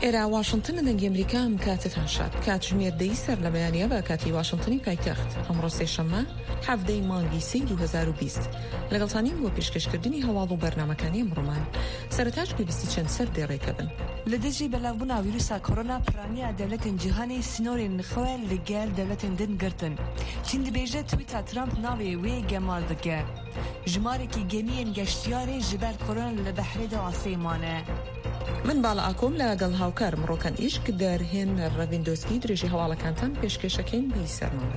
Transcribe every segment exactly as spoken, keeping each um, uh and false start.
ئێرە واشنگتن، دەنگی ئەمریکا، ئەم کاتتان شاد. کاتژمێر دەی سەر لە بەیانیە بە کاتی واشنگتنی پایتەخت. ئەمڕۆ سێشەممە، حەڤدەی مانگی سێی دوو هەزار و بیست. لەگەڵتانین بۆ پێشکەشکردنی هەواڵ و بەرنامەکانی ئەمڕۆمان. سەرەتاش پێویستی چەند سەر دێڕێکە بن. Li dijî belavbûna vîrusa korona piraniya dewletên cîhanê sînorên xwe li gel dewletên din girtin. Çîn dibêje tweeta Trump navê wê gemal dike. Jimarekî gemiyên geştiyarê ji ber korona li behrê de asê mane. Min Bala Akom لەگەڵ هاوکارم ڕۆکان ئیشک دەرهێن ڕەڤیندۆسکی درێژی هەواڵەکانتان پێشکێشەکەین بی سەرمان.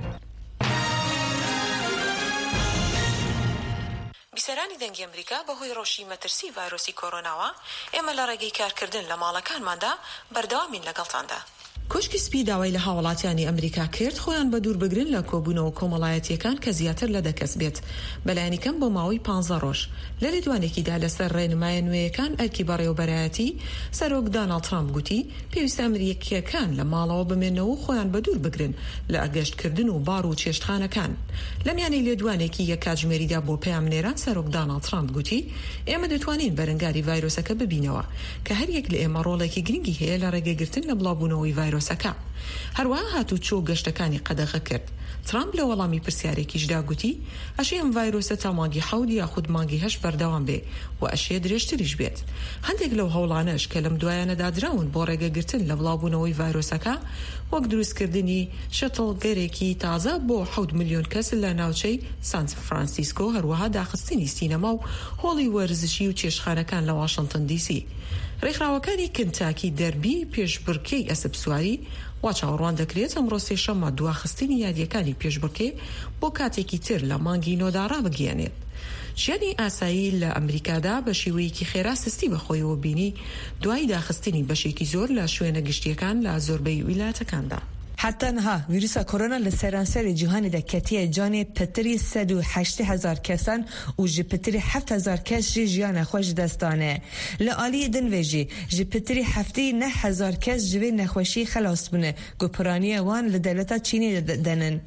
بیسەرانی دەنگی ئەمریکا، بەهۆی ڕەوشی مەترسی ڤایرۆسی کۆرۆناوە، ئێمە لە ڕێگەی کارکردن لە ماڵەکانماندا بەردەوامین لەگەڵتاندا. کۆشکی سپی داوای لە هاوڵاتیانی ئەمریکا کرد خۆیان بە دوور بگرن لە کۆبوونەوە کۆمەڵایەتیەکان کە زیاتر لە دە کەس بێت، بەلایەنی کەم بۆ ماوەی پانزە ڕۆژ. لە لێدوانێکیدا لەسەر ڕێنمایە نوێیەکان ئەرکی بەڕێوەبەرایەتی، سەرۆک داناڵد ترامپ گوتی، پێویستە ئەمریکیەکان لە ماڵەوە بمێنەوە و خۆیان بە دوور بگرن لە گەشتکردن و بار و چێشتخانەکان. لە میانەی لێدوانێکی یەک کاتژمێریدا بۆ پەیامنێران، سەرۆک داناڵد ترامپ گوتی، ئێمە دەتوانین بەرەنگاری ڤایرۆسەکە ببینەوە، کە هەر یەک لە ئێمە ڕۆڵێکی گرنگی هەیە لە ڕێگەگرتن لە بڵاوبوونەوەی ڤایرۆسەکە. هەروەها هاتوچۆ و گەشتەکانی قەدەغە کرد. ترامپ لە وەڵامی پرسیارێکیشدا گوتی، ئەشێ ئەم ڤایرۆسە تا مانگی حەوت یاخود مانگی هەشت بەردەوام بێ و ئەشێ درێژتریش بێت. هەندێک لەو هەوڵانەش کە لەم دوایانەدا دراون بۆ ڕێگەگرتن لە بڵاوبوونەوەی ڤایرۆسەکە، وەک دروستکردنی شەتڵگەرێکی تازە بۆ حەوت ملیۆن کەس لە ناوچەی سان فرانسیسکۆ، هەروەها داخستنی سینەما و هۆڵی وەرزشی و چێشتخانەکان لە واشنگتن دی سی. ڕێکخراوەکانی کنتاکی دەربی پێشبڕکێی ئەسپ سواری وا چاوەڕوان دەکرێت ئەمڕۆ سێشەممە دواخستنی یاریەکانی پێشبڕکێ بۆ کاتێکی تر لە مانگی نۆدا ڕابگەیەنێت. ژیانی ئاسایی لە ئەمریکادا بە شێوەیەکی خێرا سستی بەخۆیەوە بینی، دوای داخستنی بەشێکی زۆر لە شوێنە گشتیەکان لە زۆربەی ویلایەتەکاندا. Heta niha vîrusa korona li seranserê cîhanê de ketiye canê pitirî sed û heştê hezar kesan û ji pitirî heft hezar kes jî jiyana xwe ji dest dane. Li aliyê din ve jî ji pitirî heftê neh hezar kes ji vê nexweşiyê xelas bûne ku piraniya wan li dewleta Çînê de, de nin.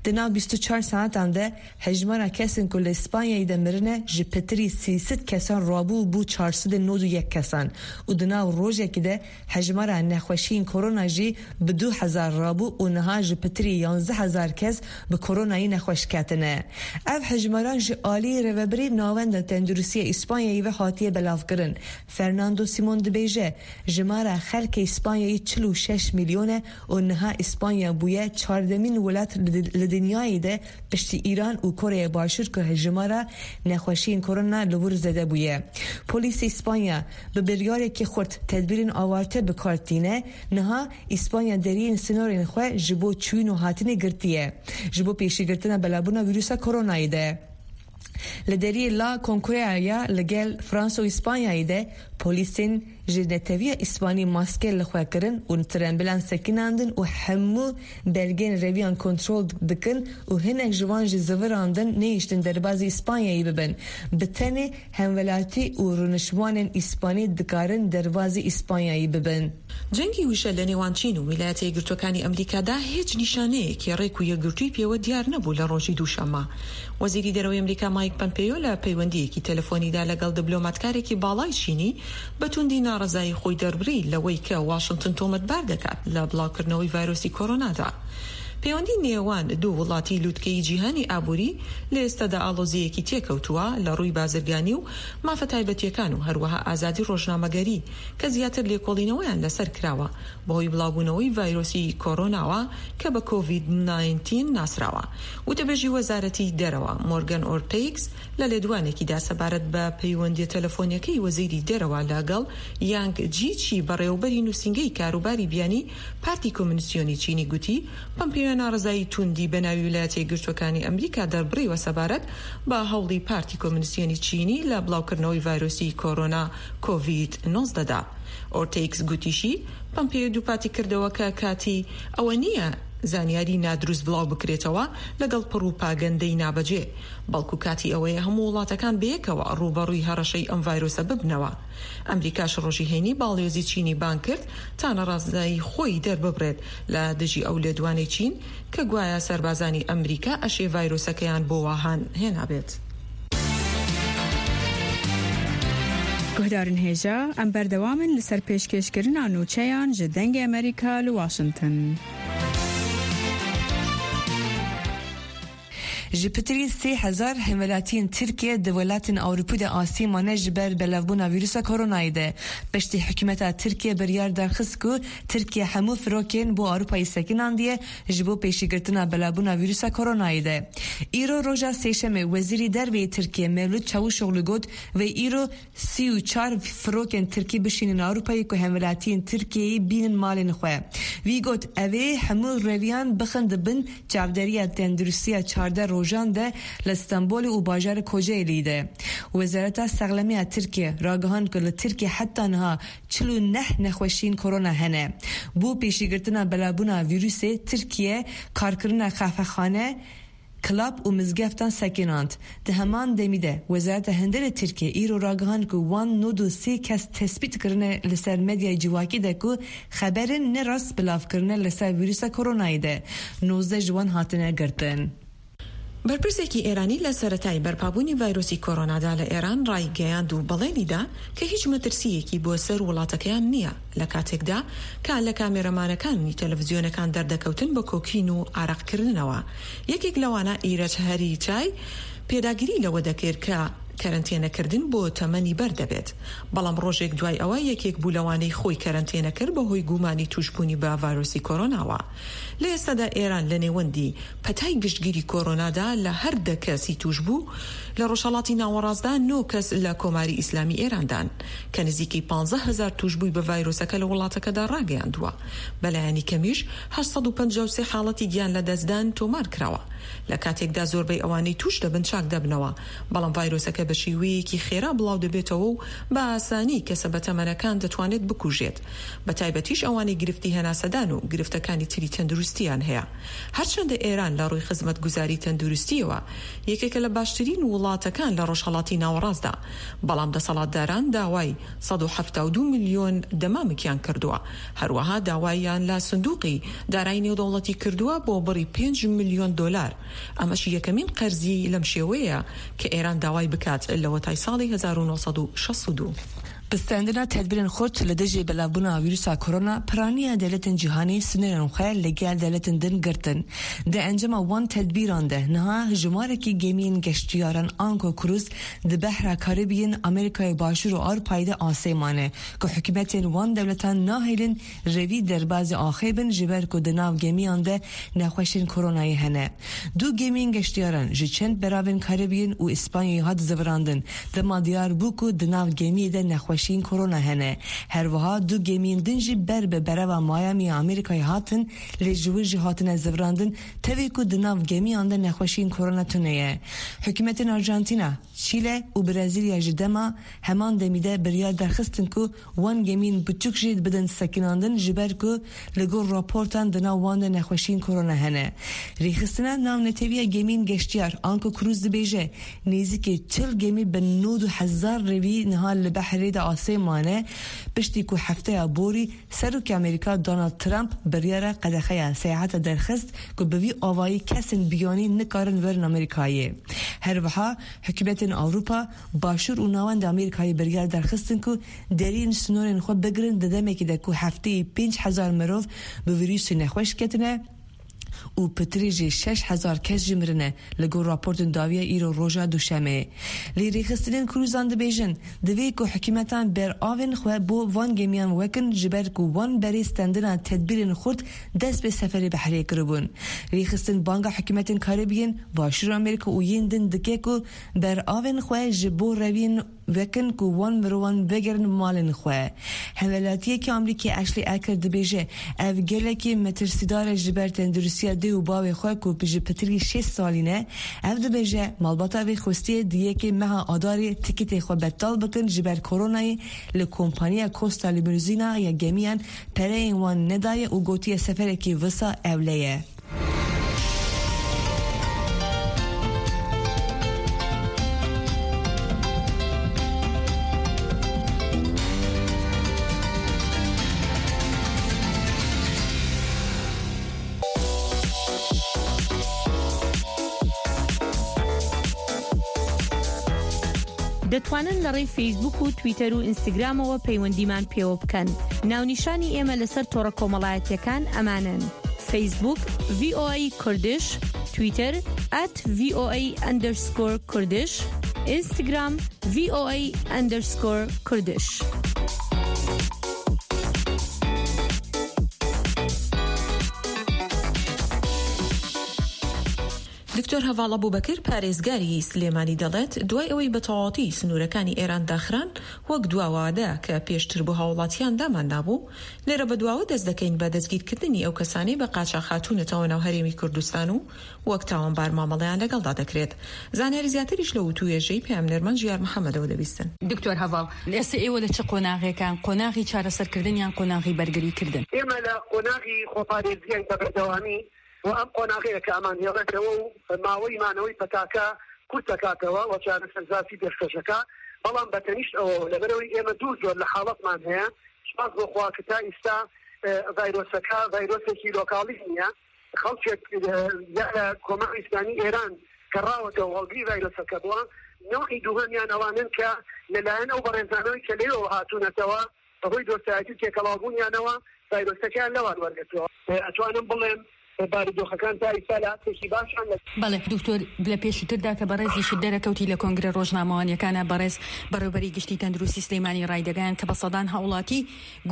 Di nav bîst û çar saetan de hejmara kesên ku li Spanyayê de mirine ji pitirî sî sed kesan rabû û bû çar sed û nod û yek kesan û di nav rojekê de hejmara nexweşiyên korona jî bi du hezar rabû û niha ji pitirî yanzdeh hezar kes bi koronayê nexweş ketine. Ev hejmaran ji alî Rêvebirê Navenda Tenduristiya Îspanyayê ve hatiye belavkirin. Fernando Simon dibêje, jimara xelkê Îspanyayê çil û şeş milyon e û niha Îspanya bûye çardemîn welat li, li dinyayê de piştî Îran û Koreya Başûr ku jimara nexweşiyên korona li wir zêde bûye. Polîsê Îspanya bi biryarekî xurt tedbîrên awarte bi kar tîne, niha Îspanya deriyên sînorên xwe ji bo çûyîn û hatinê girtiye. Ji bo pêşîgirtina belavbûna vîrusa koronayê de. Li deriyê La Concordia ya li gel Fransa û Îspanyayê de polîsên ji neteviya Îspanî maske li xwe kirin û trembilan sekinandin û hemû belgên reviyan kontrol dikin û hinek ji wan jî zivirandin nehiştin derbazî Îspanyayê bibin. Bi tenê hemwelatî û rûniştvanên Îspanî dikarin derbazî Îspanyayê bibin. جەنگی وشە لە نێوان چین و ویلایەتە یەکگرتووەکانی ئەمریکادا هیچ نیشانەیەکی ڕێک و یەکگرتووی پێوە دیار نەبوو لە ڕۆژی دووشەممە. وەزیری دەرەوەی ئەمریکا مایک پەمپێۆ لە پەیوەندیەکی تەلەفۆنیدا لەگەڵ دبلۆماتکارێکی باڵای چینی بە توندی ناڕەزایی خۆی دەربڕی لەوەی کە واشنگتن تۆمەتبار دەکات لە بڵاوکردنەوەی ڤایرۆسی کۆرۆنادا. پەیوەندی نێوان دوو وڵاتی لووتکەی جیهانی ئابووری لە ئێستادا ئاڵۆزیەکی تێکەوتووە لە ڕووی بازرگانی و مافە تایبەتیەکان و هەروەها ئازادی ڕۆژنامەگەری کە زیاتر لێکۆڵینەوەیان لەسەر کراوە بەهۆی بڵاوبوونەوەی ڤایرۆسی کۆرۆناوە کە بە کۆڤید ناینتین ناسراوە. وتەبێژی وەزارەتی دەرەوە مۆرگەن ئۆرتەیکس لە لێدوانێکیدا سەبارەت بە پەیوەندیە تەلەفۆنیەکەی وەزیری دەرەوە لەگەڵ یانگ جیچی بەڕێوەبەری نووسینگەی کاروباری بیانی پارتی کۆمونیسیۆنی چینی گوتی، پەمپیۆ ناڕەزایی توندی بە ناوی ویلایەتە یەکگرتووەکانی ئەمریکا دەربڕیوە سەبارەت بە هەوڵی پارتی کۆمونیسیۆنی چینی لە بڵاوکردنەوەی ڤایرۆسی کۆرۆنا کۆڤید نۆزدە دا. ئۆرتێکس گوتیشی، پەمپیۆ دووپاتی کردەوە کە کاتی ئەوە نییە زانیاری نادروست بڵاو بکرێتەوە لەگەڵ پڕوپاگەندەی نابەجێ، بەڵکو کاتی ئەوەیە هەموو وڵاتەکان بەیەکەوە ڕووبەڕووی هەڕەشەی ئەم ڤایرۆسە ببنەوە. ئەمریکاش ڕۆژی هەینی باڵیۆزی چینی بانگ کرد تا نەڕازایی خۆی دەرببڕێت لە دژی ئەو لێدوانەی چین کە گوایە سەربازانی ئەمریکا ئەشێ ڤایرۆسەکەیان بۆ واهان هێنابێت. Guhdarên hêja, em berdewam in li ser pêşkêşkirina nûçeyan ji Dengê Amerîka li Washington. Ji pitirî sê hezar hemwelatiyên Tirkiye di welatên Ewropî de asê mane ji ber belavbûna vîrusa koronayê de. Piştî hikûmeta Tirkiye biryar derxist ku Tirkiye hemû firokên bo Ewropayê sekinandiye ji bo pêşîgirtina belavbûna vîrusa koronayê de. Îro roja Sêşemê Wezîrê Derve yê Tirkiye Mevlût Çavuşoglu got, vê îro sî û çar firokên Tirkî bişînin Ewropayê ku hemwelatiyên Tirkiyeyê bînin malên xwe. Wî got, ev ê hemû reviyan bixin di bin çavderiya tenduristiya çardeh rojan de li Stenbolê û bajarê Kocaelî de. Wezareta Sexlemiya Tirkiye ragihand ku li Tirkiye heta niha çil û neh nexweşiyên korona hene. Bo pêşîgirtina belavbûna vîrusê, Tirkiye karkirina qehvexane, klab û mizgeftan sekinand. Di heman demî de, Wezareta Hundirê Tirkiye îro ragihand ku wan nod û sê kes tespît kirine li ser medyayê civakî de ku xeberên nerast belav kirine li ser vîrusa koronayê de. Nozdeh ji wan hatine girtin. بەرپرسێکی ئێرانی لە سەرەتای بەرپابوونی ڤایرۆسی کۆرۆنادا لە ئێران ڕایگەیاند و بەڵێنی دا کە هیچ مەترسییەکی بۆ سەر وڵاتەکەیان نییە، لە کاتێکدا کە لە کامێرەمانەکانی تەلەڤزیۆنەکان دەردەکەوتن بە کۆکین و ئارەقکردنەوە. یەکێک لەوانە ئیرەج هەری چای پێداگیری لەوە دەکرد کە کەرەنتێنەکردن بۆ تەمەنی بەر دەبێت. بەڵام ڕۆژێک دوای ئەوە یەکێک بوو لەوانەی خۆی کەرەنتێنە کرد بەهۆی گومانی توشبوونی بە ڤایرۆسی کۆرۆناوە. لە ئێستادا ئێران لە نێوەندی پەتای گشتگیری کۆرۆنادا لە هەر دە کەسی توشبوو لە ڕۆژهەڵاتی ناوەڕاستدا نۆ کەس لە کۆماری ئیسلامی ئێراندان کە نزیکی پانزدە هەزار توشبووی بە ڤایرۆسەکە لە وڵاتەکەدا ڕاگەیاندووە. بەلایەنی کەمیش هەشت سەد و پەنجا و سێ حاڵەتی گیان لە دەستدان تۆمار کراوە. لە کاتێکدا زۆربەی ئەوانەی توش دەبن چاک دەبنەوە، بەڵام ڤایرۆسەکە بە شێوەیەکی خێرا بڵاو دەبێتەوە و بە ئاسانی کەسە بەتەمەنەکان دەتوانێت بکوژێت، بە تایبەتیش ئەوانەی گرفتی هەناسەدان و گرفتەکانی تری تەندروستیان هەیە. هەرچەندە ئێران لە ڕووی خزمەتگوزاری تەندروستیەوە یەکێکە لە باشترین وڵاتەکان لە ڕۆژهەڵاتی ناوەڕاستدا، بەڵام دەسەڵاتداران داوای سەد و حەفتا و دوو ملیۆن دەمامکیان کردووە. هەروەها داواییان لە سندوقی دارایی نێودەوڵەتی کردووە بۆ بڕی پێنج ملیۆن دۆلار. ئەمەش یەکەمین قەرزی لەم شێوەیە کە ئێران داوای بکات لەوەتای ساڵی هەزار و نۆ سەد و شەست و دوو. Pistendina tedbirên xurt li dijî belavbûna vîrusa korona piraniya dewletên cîhanî sînorên xwe li gel dewletên din girtin. Di encama wan tedbîran de niha jimarekî gemiyên geştiyaran anko krûz di behra Karîbiyên Amerîkayê Başûr û Ewropayê de asê mane ku hikûmetên wan dewletan nahêlin revî derbazî axê bin, ji ber ku di nav gemiyan de nexweşên koronayê hene. Du gemiyên geştiyaran ji çend beravên Karîbiyên û Îspanyayê hat zivirandin, dema diyar bû ku di nav gemiyê de nexweşiyên korona hene. Her wiha du gemiyên din jî ber bi berava Miami ya Amerîkayê hatin, lê ji wir jî hatine zivirandin, tevî ku di nav gemiyan de nexweşiyên korona tune ye. Hikûmetên Arjantina, Çîle û Brezîlya ji dema heman demî de biryar derxistin ku wan gemiyên biçûk jî bidin sekinandin, ji ber ku li gor raportan di nav wan de nexweşiyên korona hene. Rêxistina navneteviya gemiyên geştiyar Anko Kruz dibêje, nêzîkî çil gemî bi nod û hezar revî niha li behrê de asê mane, piştî ku hefteya borî Serokê Amerîka Donald Trump biryara qedexeya seyaheta derxist ku bi vî avayî kesên biyanî nikarin werin Amerîkayê. Her wiha hikûmetên Ewropa, Başûr û Navenda Amerîkayê biryar derxistin ku deriyên sînorên xwe bigirin di demekê de ku hefteyê pênc hezar mirov bi vîrusê nexweş ketine û pitirî jî şeş hezar kes jî mirine, li gor raportên dawiya îro roja Duşemê. Lê rêxistinên Krûzan dibêjin, divê ku hikûmetan beravên xwe bo van gemiyan wekin, ji ber ku wan berê stendina tedbîrên xurt dest bi seferê behrê kiribûn. Rêxistin banga hikûmetên Karîbiyên, Başûr Amerîka û yên din dike ku beravên xwe ji bo reviyên vekin ku wan mirovan vegerin malên xwe. Hemwelatiyekî Amerîkî Ashley Eckert dibêje, ev gelekî metirsîdar e ji ber tenduristiya dê û bavê xwe ku ji pitirî şêst salî ne. Ev dibêje, malbata vê xwestiye di yekê meha Adarê tikîtê xwe betal bikin ji ber koronayê li kompaniya Costa Limousine ya gemiyan pereyên wan nedaye û gotiye seferekî wisa ewle ye. دەتوانن لە ڕێی فەیسبوک و تویتەر و ئینستاگرامەوە پەیوەندیمان پێوە بکەن. ناونیشانی ئێمە لەسەر تۆڕە کۆمەڵایەتیەکان ئەمانەن: فەیسبوک، ڤی ئۆ ئەی کوردش، تویتەر، ئەت ڤی ئۆ ئەی ئەندەرسکۆر کوردش، ئینستاگرام، ڤی ئۆ ئەی ئەندەرسکۆر کوردش. دکتۆر هەڤاڵ ئەبوبەکر، پارێزگاری سلێمانی، دەڵێت دوای ئەوەی بە تەواوەتی سنوورەکانی ئێران داخران، وەک دواوادە کە پێشتر بۆ هاوڵاتیان دامان نابوو، لێرە بە دواوە دەست دەکەین بە دەستگیرکردنی ئەو کەسانەی بە قاچاخ هاتوونەتەوە ناو هەرێمی کوردستان و وەک تاوانبار مامەڵەیان لەگەڵدا دەکرێت. زانیاری زیاتریش لە وتووێژەی پەیامنێرمان ژیار محەممەدەوە دەبیستن. دکتۆر هەڤاڵ، ئێستا ئێوە لە چ قۆناغێکان؟ قۆناغی چارەسەرکردنیان، قۆناغی بەرگریکردن؟ ئێمە لە قۆناغی خۆپارێزیان بە بەردەوامی و ئەم قۆناغەیە کە ئەمان هێڵێتەوە و ماوەی مانەوەی پەتاکە کورت دەکاتەوە و چارەسەرزاسی پێشکەشەکە. بەڵام بە تەنیشت ئەوە، لەبەرەوەی ئێمە دوو جۆر لە حاڵەتمان هەیە، سپاس بۆ خوا کە تا ئیستا، ئێ، ڤایرۆسەکە ڤایرۆسێکی لۆکاڵی نییە. خەڵکێک، ئێ، یا لە کۆماری ئیسلامی ئێران کە ڕاوەتەوە هەڵگری ڤایرۆسەکە بووە. نەوعی دووهەمیان ئەوانن کە لەلایەن ئەو بەڕێزانەوەی کە لێوە هاتوونەتەوە، بەهۆی دۆستایەتی و تێکەڵاوبوونیانەوە ڤایرۆسەکەیان لەوان وەرگرتووە. ئەتوانم بڵێم بارودۆخەکان تا ئیستا لە ئاستێکی باشان لە بەڵێ، دکتۆر، لە پێشتردا کە بەڕێزیشت دەرەکەوتی لە کۆنگرە ڕۆژنامەوانیەکانە، بەڕێز بەڕێوبەری گشتی تەندروستی سلێمانی ڕایدەگەیان کە بە سەدان هاوڵاتی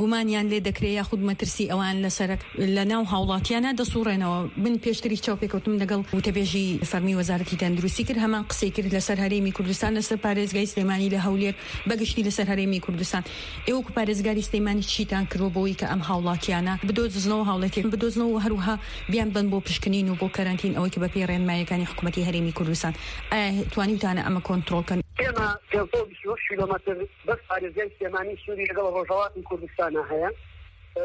گومانیان لێ دەکرێ یاخود مەترسی ئەوان لەسەر، لە ناو هاوڵاتیانە دەسوڕێنەوە. من پێشتریش چاوپێکەوتنم لەگەڵ وتەبێژی فەرمی وەزارەتی تەندروستی کرد، هەمان قسەی کرد لەسەر هەرێمی کوردستان، لەسەر پارێزگای سلێمانی، لە هەولێر، بەگشتی لەسەر هەرێمی کوردستان. ئێوە وەکو پارێزگاری سلێمانی چیتان کردووە بۆی کە ئەم هاوڵاتیانە بدۆزنەوە، هاوڵاتیان بدۆزنەوە و هەروەها بیان بن بۆ پشکنین و بۆ کەرەنتین، ئەوەی کە بە پێی ڕێنماییەکانی حکوومەتی هەرێمی کوردستان؟ ئایا توانیوتانە ئەمە کۆنترۆل کەن؟ ئێمە پێنج سەد و بیست و شەش کیلۆمەتر بەس پارێزگای سلێمانی سنووری لەگەڵ ڕۆژهەڵاتی کوردستانە هەیە.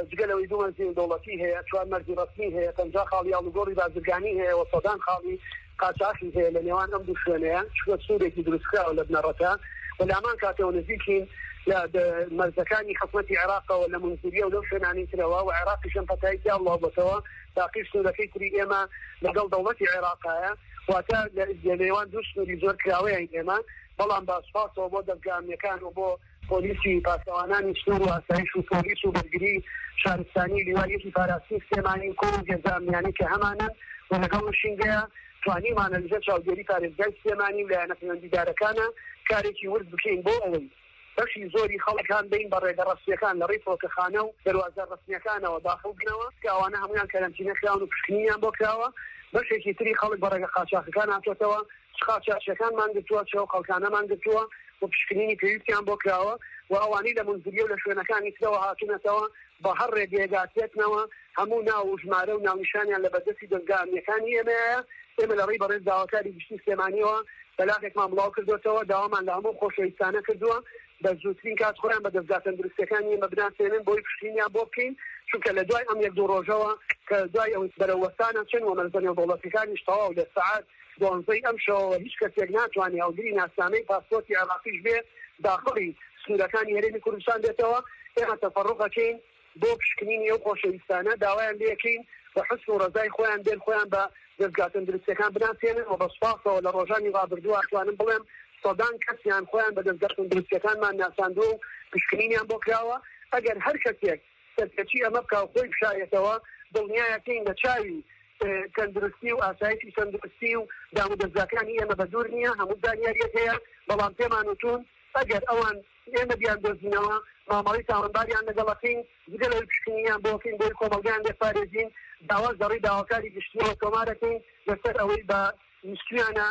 جگە لەوەی دوو مەرزی دەوڵەتی هەیە، چوار مەرزی ڕەسمی هەیە، پەنجا خاڵی ئاڵوگۆڕی بازرگانی هەیە و سەدان خاڵی قاچاخی هەیە لە نێوان ئەم دوو شوێنەیە، چونکە سنوورێکی دروستکراوە لە بنەڕەتە و لە هەمان کاتەوە نزیکین لە د-، مەرزەکانی حکوومەتی عێراقەوە لە منزلیە و لەو شوێنانی ترەوە و عێراقیش ئەم پەتایەکی ئەڵاو بۆتەوە. باقی سنوورەکەی تری ئێمە لەگەڵ دەوڵەتی عێراقایە، واتە لە، لە نێوان دوو سنووری زۆر کراوەیان ئێمە. بەڵام بە سوپاسەوە بۆ دەزگا ئەمنیەکان و بۆ پۆلیسی پاسەوانانی سنوور و ئاسایش و پۆلیس و بەرگری شارستانی لیوای یەکی پاراستنی سلێمانی و کۆمەڵ هێزە ئەمنیانی کە هەمانن و لەگەڵ نشینگەیە توانیمانە لەژێر چاودێری پارێزگای سلێمانی و لایەنە پەیوەندیدارەکانە کارێکی ورد بکەین بۆ ئەوەی بەشی زۆری خەڵک هان بین بە ڕێگە ڕەسمیەکان لە ڕێی فڕۆکەخانە و دەروازە ڕەسمیەکانەوە داخڵ بنەوە، کە ئەوانە هەمویان کەرەنتینە کراون و پشکنینیان بۆ کراوە. بەشێکی تری خەڵک بە ڕێگە قاچاخەکان هاتۆتەوە، چ قاچاخچیەکان مان گرتووە، چ ئەو خەڵکانە مان گرتووە و پشکنینی پێویستیان بۆ کراوە و ئەوانەی لە منزلیە و لە شوێنەکانی ترەوە هاتوونەتەوە بە هەر ڕێگەیەک هاتوێتنەوە، هەموو ناو و ژمارە و ناونیشانیان لە بەردەستی دەزگا ئەمنیەکانی ئێمەیە. ئێمە لە ڕێی بەڕێز داواکاری گشتی سلێمانیەوە بەلاغێکمان بڵاو کردوتەوە، داوامان لە هەموو خۆشەویستانە کردووە بە زووترین کات خۆیان بە دەزگا تەندروستەکانیان بە بناسێنن بۆی پشتینیان بۆ بکەین، چونکە لە دوای ئەم یەک دوو ڕۆژەوە کە دوای ئەو بەرەوەستانە چن و مەرزە نێودەوڵەتیەکانیش تەواو لە سەعات دوانزەی ئەم شەوەوە هیچ کەسێک ناتوانێ هەڵگری ناسنامەی پاسپۆرتی عێراقیش بێ داخڵی سنوورەکانی هەرێمی کوردستان بێتەوە. ئێمە تەفەڕوقەکەین بۆ پشکنینی ئەو خۆشەویستانە، داوایان لێکەین بە حسن و ڕەزای خۆیان بێن خۆیان بە دەستگا تەندروستیەکان بناسێنن و بە سوپاسەوە لە ڕۆژانی ڕابردووە ئەتوانم بڵێم سەدان کەسیان خۆیان بە دەستگا تەندروستیەکانمان ناساندووە و پشکنینیان بۆ کراوە. ئەگەر هەر کەسێک سەرپێچی ئەمە بکا و خۆی بشارێتەوە، دڵنیایەکەین لە چاوی، ئێ، تەندروستی و ئاسایشی تەندروستی و دام و دەستگاکانی ئێمە بە دوور نییە، هەموو زانیاریەک هەیە، بەڵام پێمان وتون ئەگەر ئەوان ئێمە بیان دۆزینەوە، مامەڵەی تاوانباریان لەگەڵەکەین، جگە لەوەی پشکنینیان بۆکەین، بۆی کۆمەڵگەیان لێپارێزین، داواش لەڕێی داواکاری گشتیەوە تۆمارەکەین لەسەر ئەوەی بە ویستویانە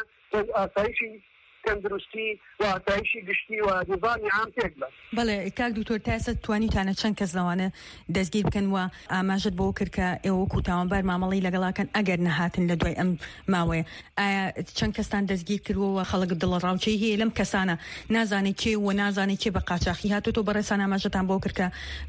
ئاسایشی تەندروستی و ئاسایشی گشتی و نظامی عام تێک بن. بەڵێ، کاک دکتۆر، تا ئێستا توانیتانە چەند کەس لەوانە دەستگیر بکەن و ئاماژەت بۆ کرد کە ئێوە وەکو تاوانبار مامەڵەی لەگەڵاکەن ئەگەر نەهاتن لە دوای ئەم ماوەیە؟ ئایا چەند کەستان دەستگیر کردووە و خەڵک دڵەڕاوچەی هەیە لەم کەسانە؟ نازانێت کێ و نازانێت کێ بە قاچاخی هاتوتۆ. بەڕێسان ئاماژەتان بۆ کرد کە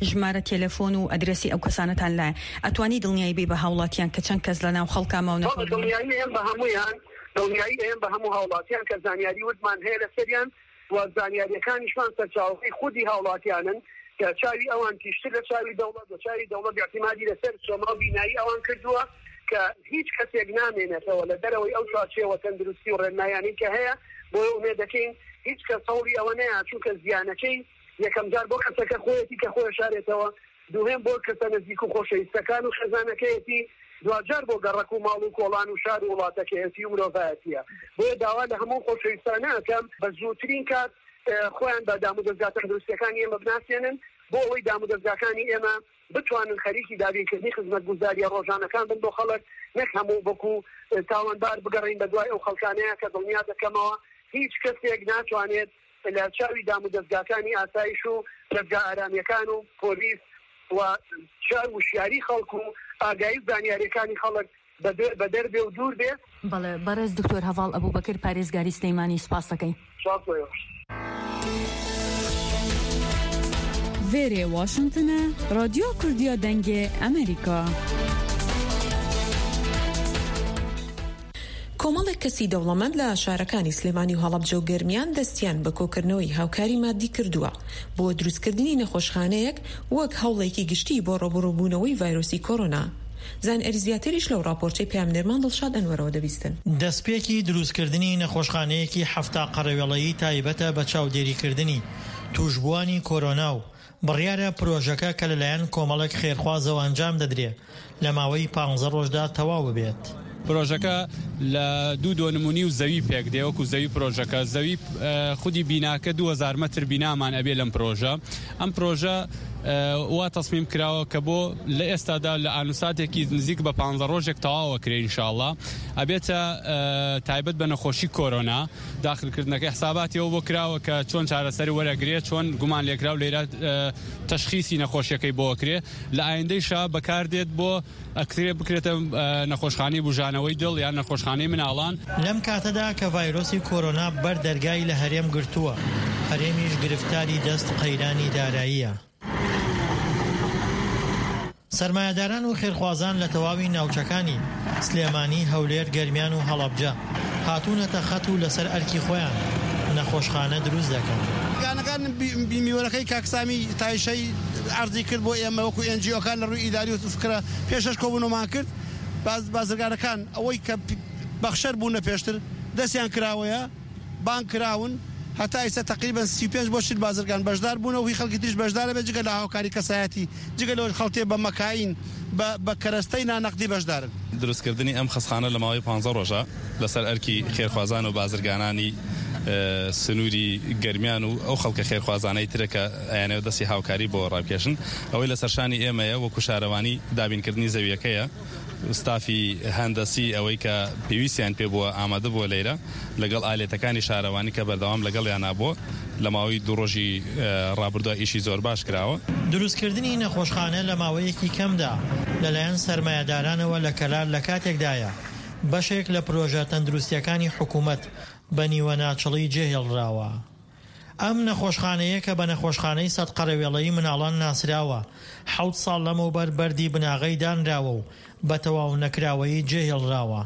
ژمارە تەلەفۆن و ئەدرەسی ئەو کەسانەتان لایە. ئەتوانی دڵنیایی بێ بە هاوڵاتیان کە چەند کەس لە ناو خەڵکا ماونەتەوە؟ بەڵێ، دڵنیایی ئەم بە هەمویان، دڵنیایی ئەم بە هەموو هاوڵاتیان کە زانیاری وردمان هەیە لەسەریان و زانیاریەکانیشمان سەرچاوەکەی خودی هاوڵاتیانن کە چاوی ئەوان تیشتر لە چاوی دەوڵەت و چاوی دەوڵەت اعتیمادی لەسەر سۆما و بینایی ئەوان کردووە کە هیچ کەسێک نامێنێتەوە لە دەرەوەی ئەو چوارچێوە تەندروستی و ڕێنمایانەی کە هەیە. بۆیە ئومێد دەکەین هیچ کەس هەوڵی ئەوە نەیا، چونکە زیانەکەی یەکەم جار بۆ کەسەکە خۆیەتی کە خۆی شارێتەوە، دووهێم بۆ کەسە نزیک و خۆشەویستەکان و خێزانەکەیەتی، دواجار بۆ گەڕەک و ماڵ و کۆڵان و شار و وڵاتەکەیەتی و مرۆڤایەتیە. بۆیە داوا لە هەموو خۆشەویستانە ئەکەم بە زووترین کات، ئە، خۆیان بە دامودەزگا تەندروستیەکانی ئێمە بناسێنن، بۆ ئەوەی دامودەزگاکانی ئێمە بتوانن خەریکی دابینکردنی خزمەتگوزاریە ڕۆژانەکان بن بۆ خەڵک، نەک هەموو وەکو، ئە، تاوانبار بگەڕین بە دوای ئەو خەڵکانەیە کە دڵنیا دەکەمەوە هیچ کەسێک ناتوانێت لە چاوی دامودەزگاکانی ئاسایش و دەزگا ئارامیەکان و پۆلیس و چاو وشیاری خەڵک و ئاگایی و زانیاریەکانی خەڵک بە دەر، بە دەر بێ و دوور بێ. بەڵێ، بەڕێز دکتۆر هەڤاڵ ئەبوبەکر، پارێزگاری سلەیمانی، سپاس دەکەین. سپاس بۆ ئێوەش. Vêrê Washington e, Radyo Kurdiya Dengê Amerîka. کۆمەڵێک کەسی دەوڵەمەند لە شارەکانی سلێمانی و هەڵەبجە و گەرمیان دەستیان بە کۆکردنەوەی هاوکاری مادی کردووە بۆ دروستکردنی نەخۆشخانەیەک وەک هەوڵێکی گشتی بۆ ڕوبەڕووبوونەوەی ڤایرۆسی کۆرۆنا. زانیاری زیاتریش لەو راپۆرتەی پەیامنێرمان دڵشاد ئەنوەرەوە دەبیستن. دەستپێکی دروستکردنی نەخۆشخانەیەکی حەفتا قەڕەوێڵەیی تایبەتە بە چاودێریکردنی توشبووانی کۆرۆنا و بڕیارە پرۆژەکە کە لەلایەن کۆمەڵێک خێرخوازەوە ئەنجام دەدرێ، لە ماوەی پانزدە ڕۆژدا تەواو ببێت. پرۆژەکە لە دوو دۆنمونی و زەوی پێک دێ، وەکو زەوی پرۆژەکە. زەوی، ئە، خودی بیناکە دوو هەزار مەتر بینامان ئەبێ لەم پرۆژە. ئەم پرۆژە، ئە، وا تەسمیم کراوە کە بۆ لە ئێستادا لە ئانوساتێکی نزیک بە پانزدە ڕۆژێک تەواوە کرێ ئینشاءالله. ئەبێتە، ئە، تایبەت بە نەخۆشی کۆرۆنا. داخلکردنەکەی حساباتی ئەوە بۆ کراوە کە چۆن چارەسەری وەرەگرێ، چۆن گومان لێکراو لێرە، ئە، تەشخیسی نەخۆشیەکەی بۆ ئەکرێ. لە ئایندەیشا بەکاردێت بۆ ئەکرێ بکرێتە، ئە، نەخۆشخانەی بوژانەوەی دڵ یان نەخۆشخانەی مناڵان. لەم کاتەدا کە ڤایرۆسی کۆرۆنا بەر دەرگای لە هەرێم گرتووە، هەرێمیش گرفتاری دەست قەیرانی داراییە. سەرمایەداران و خێرخوازان لە تەواوی ناوچەکانی سلێمانی، هەولێر، گەرمیان و هەڵەبجە هاتوونەتە خەت و لەسەر ئەرکی خۆیان نەخۆشخانە دروست دەکەن. گانەکان بی-، بی-، میوەرەکەی کاکسامی تایشەی عەرزی کرد بۆ ئێمە وەکو ئێن جی ئۆکان لە ڕووی ئیداری و فکرە پێشەش کۆبوونەوەمان کرد. باز-، بازرگانەکان ئەوەی کە پی-، بەخشەر بوونە پێشتر دەستیان کراوەیە، بانگ کراون، هەتا ئیستا تەقریبەن سی و پێنج بۆ چل بازرگان بەشدار بوونە و هی خەڵکی تریش بەشدارە بێت، جگە لە هاوکاری کەسایەتی، جگە لەوەش خەڵکێ بە مەکاین، بە، بە کەرەستەی نانەقدی بەشدارن. دروستکردنی ئەم خەسخانە لە ماوەی پانزدە ڕۆژە لەسەر ئەرکی خێرخوازان و بازرگانانی، ئە، سنووری گەرمیان و ئەو خەڵکە خێرخوازانەی ترە کە ئەیانەوە دەستی هاوکاری بۆ ڕابکێشن. ئەوەی لەسەر شانی ئێمەیە وەکو شارەوانی دابینکردنی زەویەکەیە. ستافی هەندەسی ئەوەی کە پێویستیان پێ بووە ئامادە بووە لێرە، لەگەڵ ئالێتەکانی شارەوانی کە بەردەوام لەگەڵیان نابووە. لە ماوەی دوو ڕۆژی، ئە، ڕابردووە ئیشی زۆر باش کراوە. دروستکردنی نەخۆشخانە لە ماوەیەکی کەمدا لەلایەن سەرمایەدارانەوە لە کەلار لە کاتێکدایە بەشێک لە پرۆژە تەندروستیەکانی حکوومەت بە نیوە ناچڵی جێهێڵراوە. ئەم نەخۆشخانەیە کە بە نەخۆشخانەی سەد قەرەوێڵەی مناڵان ناسراوە، حەوت ساڵ لەمەوبەر بەردی بناغەی دانراوە و بە تەواو نەکراوەیی جێهێڵراوە.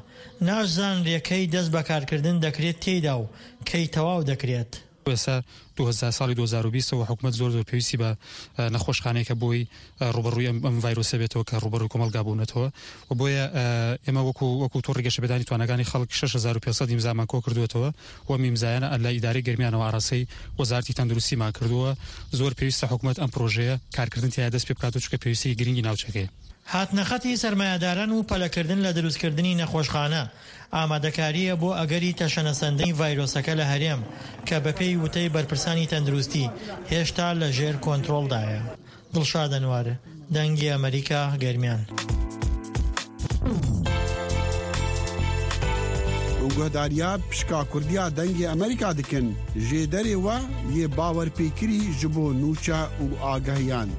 ناشزانرێ کەی دەست بەکارکردن دەکرێت تێیدا و کەی تەواو دەکرێت. ئێستا دوو هەزار، ساڵی دوو هەزار و بیست و حکوومەت زۆر زۆر پێویستی بە، ئە، نەخۆشخانەیە کە بۆی، ئە، ڕوبەڕووی ئەم، ئەم ڤایرۆسە بێتەوە کە ڕوبەڕووی کۆمەڵگا بوونەتەوە. و بۆیە، ئە، ئێمە وەکو، وەکو تۆڕی گەشەپێدانی توانەکانی خەڵک شەش هەزار و پێنج سەد ئیمزامان کۆ کردووەتەوە و ئەم ئیمزایانە لە ئیدارەی گەرمیانەوە ئاراستەی وەزارەتی تەندروستیمان کردووە. زۆر پێویستە حکوومەت ئەم پرۆژەیە کارکردن تیایە دەست پێ بکات و چونکە پێویستەیەکی گرنگی ناوچەکەیە. هاتنەخەتی سەرمایەداران و پەلەکردن لە دروستکردنی نەخۆشخانە ئامادەکارییە بۆ ئەگەری تەشەنەسەندنی ڤایرۆسەکە لە هەرێم کە بەپێی وتەی بەرپرسانی تەندروستی هێشتا لە ژێر کۆنترۆڵدایە. دڵشاد ئەنوار، دەنگی ئەمریکا، گەرمیان. Guhdariyar pişka Kurdiya Dengê Amerîka dikin. Jêderê we yê bawerpêkirî ji bo nûçe û agehiyan.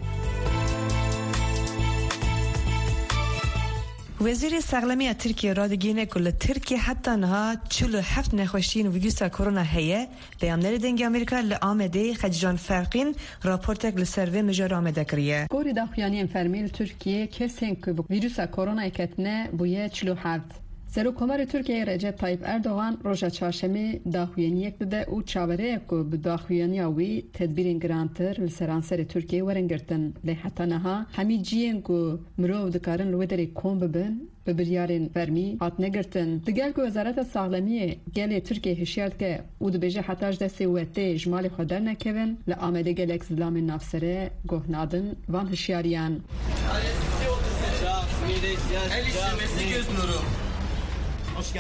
Wezîrê Sexlemê ya Tirkiyê radigihîne ku li Tirkiyê heta niha çil û heft nexweşiyên vîrusa korona heye. Peyamnerê Dengê Amerîka li Amedê Xecîcan Ferqîn raportek li ser vê mijarê amade kiriye. Gorî daxuyaniyên fermî li Tirkiyê kesên ku bi vîrusa koronayê ketine bûye çil û heft. Serokkomarê Tirkiyeyê Recep Tayyip Erdogan roja çarşemê daxuyaniyek dide û çaverê ye ku bi daxuyaniya wî tedbîrên girantir li seranserê Tirkiyeyê werin girtin. Lê heta niha hemî cihên ku mirov dikarin li wê derê kom bibin, bi biryarên fermî hatine girtin. Digel ku Wezareta Saxlemiyê gelê Tirkiyê hişyar dike û dibêje heta ji destê wetê ji malê xwe dernekevin, li Amedê gelek zilamên navsere guh nadin van hişyariyan.